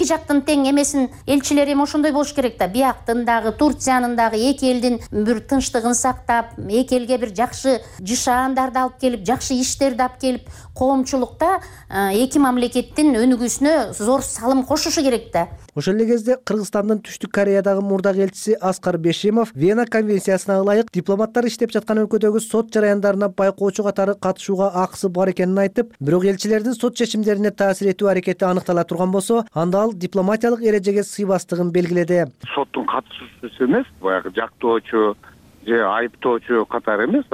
жактын тең эмесин элчилер эми ошондой болуш керек да. Бияктын дагы, Турциянын дагы эки элдин бир тынчтыгын сактап, эки элге бир жакшы жашаандарды алып келип, жакшы иштерди алып келип, коомчулукта эки мамлекеттин өнүгүүсүнө зор салым кошушу керек да. Ошол эле кезде Кыргызстандын Түштүк Кореядагы мурдагы элчиси Аскар Бешимов Вена конвенциясына ылайык дипломаттар иштеп жаткан өлкөдөгү сот жараяндарына байкоочу катары катышууга акысы бар экенин айтып, бирок элчилердин сот чечимдерине таасир этүү аракети аныктала турган болсо, анда ал дипломатиялык эрежеге сыйбастыгын белгиледи. Соттун катышуусу эмес, баягы жактоочу же айыптоочу катары эмес,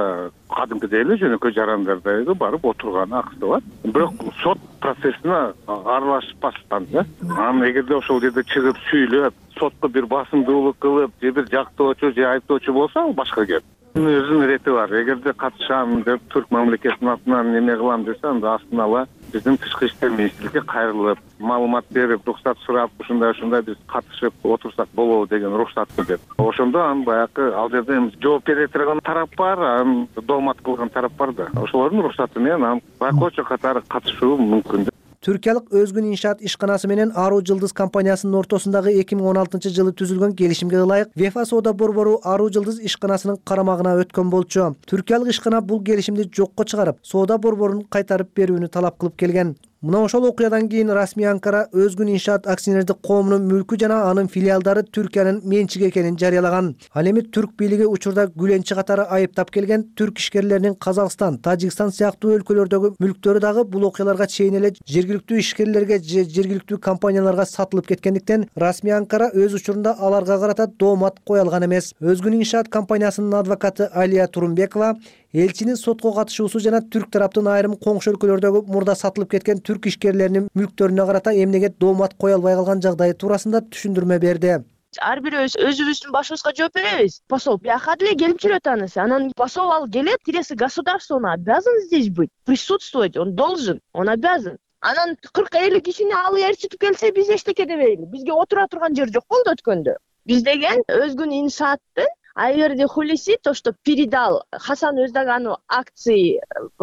кадимкидей эле жөнөкөй жарандардагы барып отурганы акысы бар. Бирок сот процессине аралашпастан да. Анан эгерде ошол жерде чыгып сүйлөп, сотко бир басымдуулук кылып, же бир жактоочу же айыптоочу болсо, ал башка кеп. Өзүнүн рети бар. Эгерде катышам деп түрк мамлекетинин атынан неме кылам десе, анда астына ала биздин тышкы иштер министрликке кайрылып, маалымат берип, уруксат сурап, ушундай биз катышып отурсак болобу деген уруксатты деп. Ошондо анын баягы ал жерде жооп бере турган тарап бар, анын доомат кылган тарап бар да. Ошолордун уруксаты менен анын байкоочу катары катышуу мүмкүн. Түркиялык Өзгүн иншаат ишканасы менен Ару Жылдыз компаниясынын ортосундагы 2016 жылы түзүлгөн келишимге ылайык Вефа соода борбору Ару Жылдыз ишканасынын карамагына өткөн болчу. Түркиялык ишкана бул келишимди жокко чыгарып, соода борборун кайтарып берүүнү талап кылып келген. Мына ошол окуядан кийин расмий Анкара Өзгүн иншаат акционердик коомунун мүлкү жана анын филиалдары Түркиянын менчиги экенин жарыялаган. Ал эми түрк бийлиги учурда Гүленчи катары айыптап келген түрк ишкерлеринин Казакстан, Тажикстан сыяктуу өлкөлөрдөгү мүлктөрү дагы бул окуяларга чейин эле жергиликтүү ишкерлерге же жергиликтүү компанияларга сатылып кеткендиктен расмий Анкара өз учурунда аларга карата доомат кое алган эмес. Өзгүн иншаат компаниясынын адвокаты Алия Турумбекова элчинин сотко катышуусу жана түрк тараптын айрым коңшу өлкөлөрдөгү мурда сатылып кеткен түрк ишкерлеринин мүлктөрүнө карата эмнеге доомат кое албай калган жагдайы туурасында түшүндүрмө берди. Ар бирөөбүз өзүбүздүн башыбызга жооп беребиз. Посол бияка деле келип жүрөт анысы. Анан посол ал келет, интересы государства, он обязан здесь быть, присутствовать, он должен, он обязан. Анан 40-50 кишини алып ээрчитип келсе, биз эчтеке дебейли. Бизге отура турган жер жок болду өткөндө. Биз деген Өзгүн иншааттын Айверди Хулиси то, что передал Хасан Өздагану акции,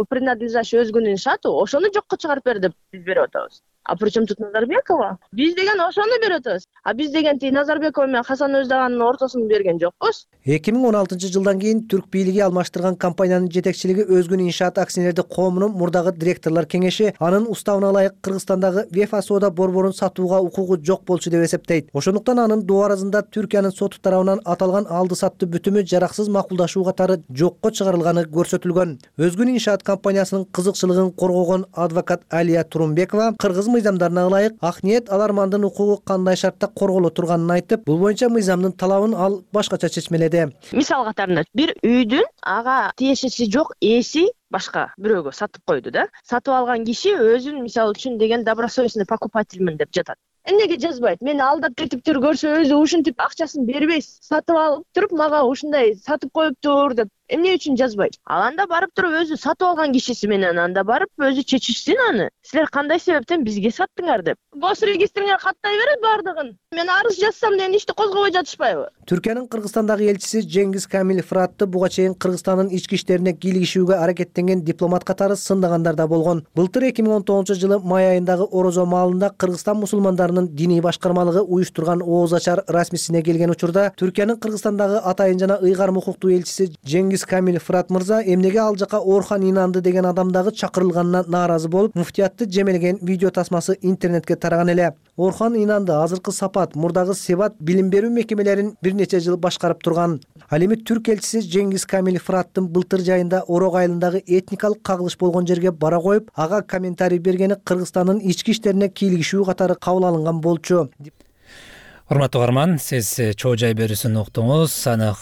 принадлежащие Өзгүн иншаату, ошону жокко чыгарып берди, биз берип атабыз. А причем тут Назарбекова? Биз деген ошону берип атабыз. А биз деген Назарбекова менен Хасан Өздаганын ортосун берген жокпуз. 2016 жылдан кийин түрк бийлиги алмаштырган компаниянын жетекчилиги Өзгүн иншаат акционердик коомунун мурдагы директорлор кеңеши анын уставына ылайык Кыргызстандагы Вефа соода борборун сатууга укугу жок болчу деп эсептейт. Ошондуктан анын дуаразында Түркиянын соту тарабынан аталган алды саттуу бүтүмү жараксыз макулдашуу катары жокко чыгарылганы көрсөтүлгөн. Өзгүн иншаат компаниясынын кызыкчылыгын коргогон адвокат Алия Турумбекова кыргыз мыйзамдарына ылайык ак ниет алармандын укугу кандай шартта корголо турганын айтып, бул боюнча мыйзамдын талабын ал башкача чечмеледи. Мисал катарында бир үйдүн ага тиешеси жок ээси башка бирөөгө сатып койду да. Сатып алган киши өзүн мисалы үчүн деген добросовестный покупательмин деп жатат. Эмнеге жазбайт? Мени алдап кетиптир, көрсө өзү ушинтип акчасын бербейс. Сатып алып туруп, мага ушундай сатып коюптур деп эмне үчүн жазбайт? Ал анда барып туруп өзү сатып алган кишиси менен анда барып өзү чечишсин аны. Силер кандай себептен бизге саттыңар деп. Гос регистрине каттай берет бардыгын. Мен арыз жазсам деген ишти козгобой жатышпайбы? Түркиянын Кыргызстандагы элчиси Жеңгиз Камил Фыратты буга чейин Кыргызстандын ички иштерине кийлигишүүгө аракеттенген дипломат катары сындагандар да болгон. Былтыр 2019-жылы май айындагы Орозо маалында Кыргызстан мусулмандарынын диний башкармалыгы уюштурган ооз ачар расмисине келген учурда Түркиянын Кыргызстандагы атайын жана ыйгарым укуктуу элчиси Жеңгиз Камил Фырат мырза эмнеге ал жака Орхан Инанды деген адам дагы чакырылганына нааразы болуп, муфтиятты жемелеген видео тасмасы интернетке тараган эле. Орхан Инанды азыркы Сапат, мурдагы Себат билим берүү мекемелерин бир нече жыл башкарып турган. Ал эми түрк элчиси Жеңгиз Камил Фыраттын былтыр жайында Орок айылындагы этникалык кагылыш болгон жерге бара коюп, ага комментарий бергени Кыргызстандын ички иштерине кийлигишүү катары кабыл алынган болчу. Урматтуу угарман, сиз чоо жай берүүсүн уктуңуз. Аны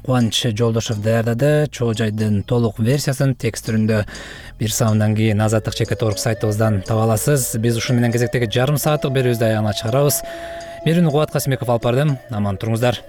Кубаныч Жолдошов даярдады. Чоо жайдын толук версиясын текст түрүндө бир саамдан кийин Азаттык /org сайтыбыздан таба аласыз. Биз ушун менен кезектеги жарым сааттык берүүбүздү аягына чыгарабыз. Берүүнү Кубат Касымбеков алып бардым. Аман туруңуздар.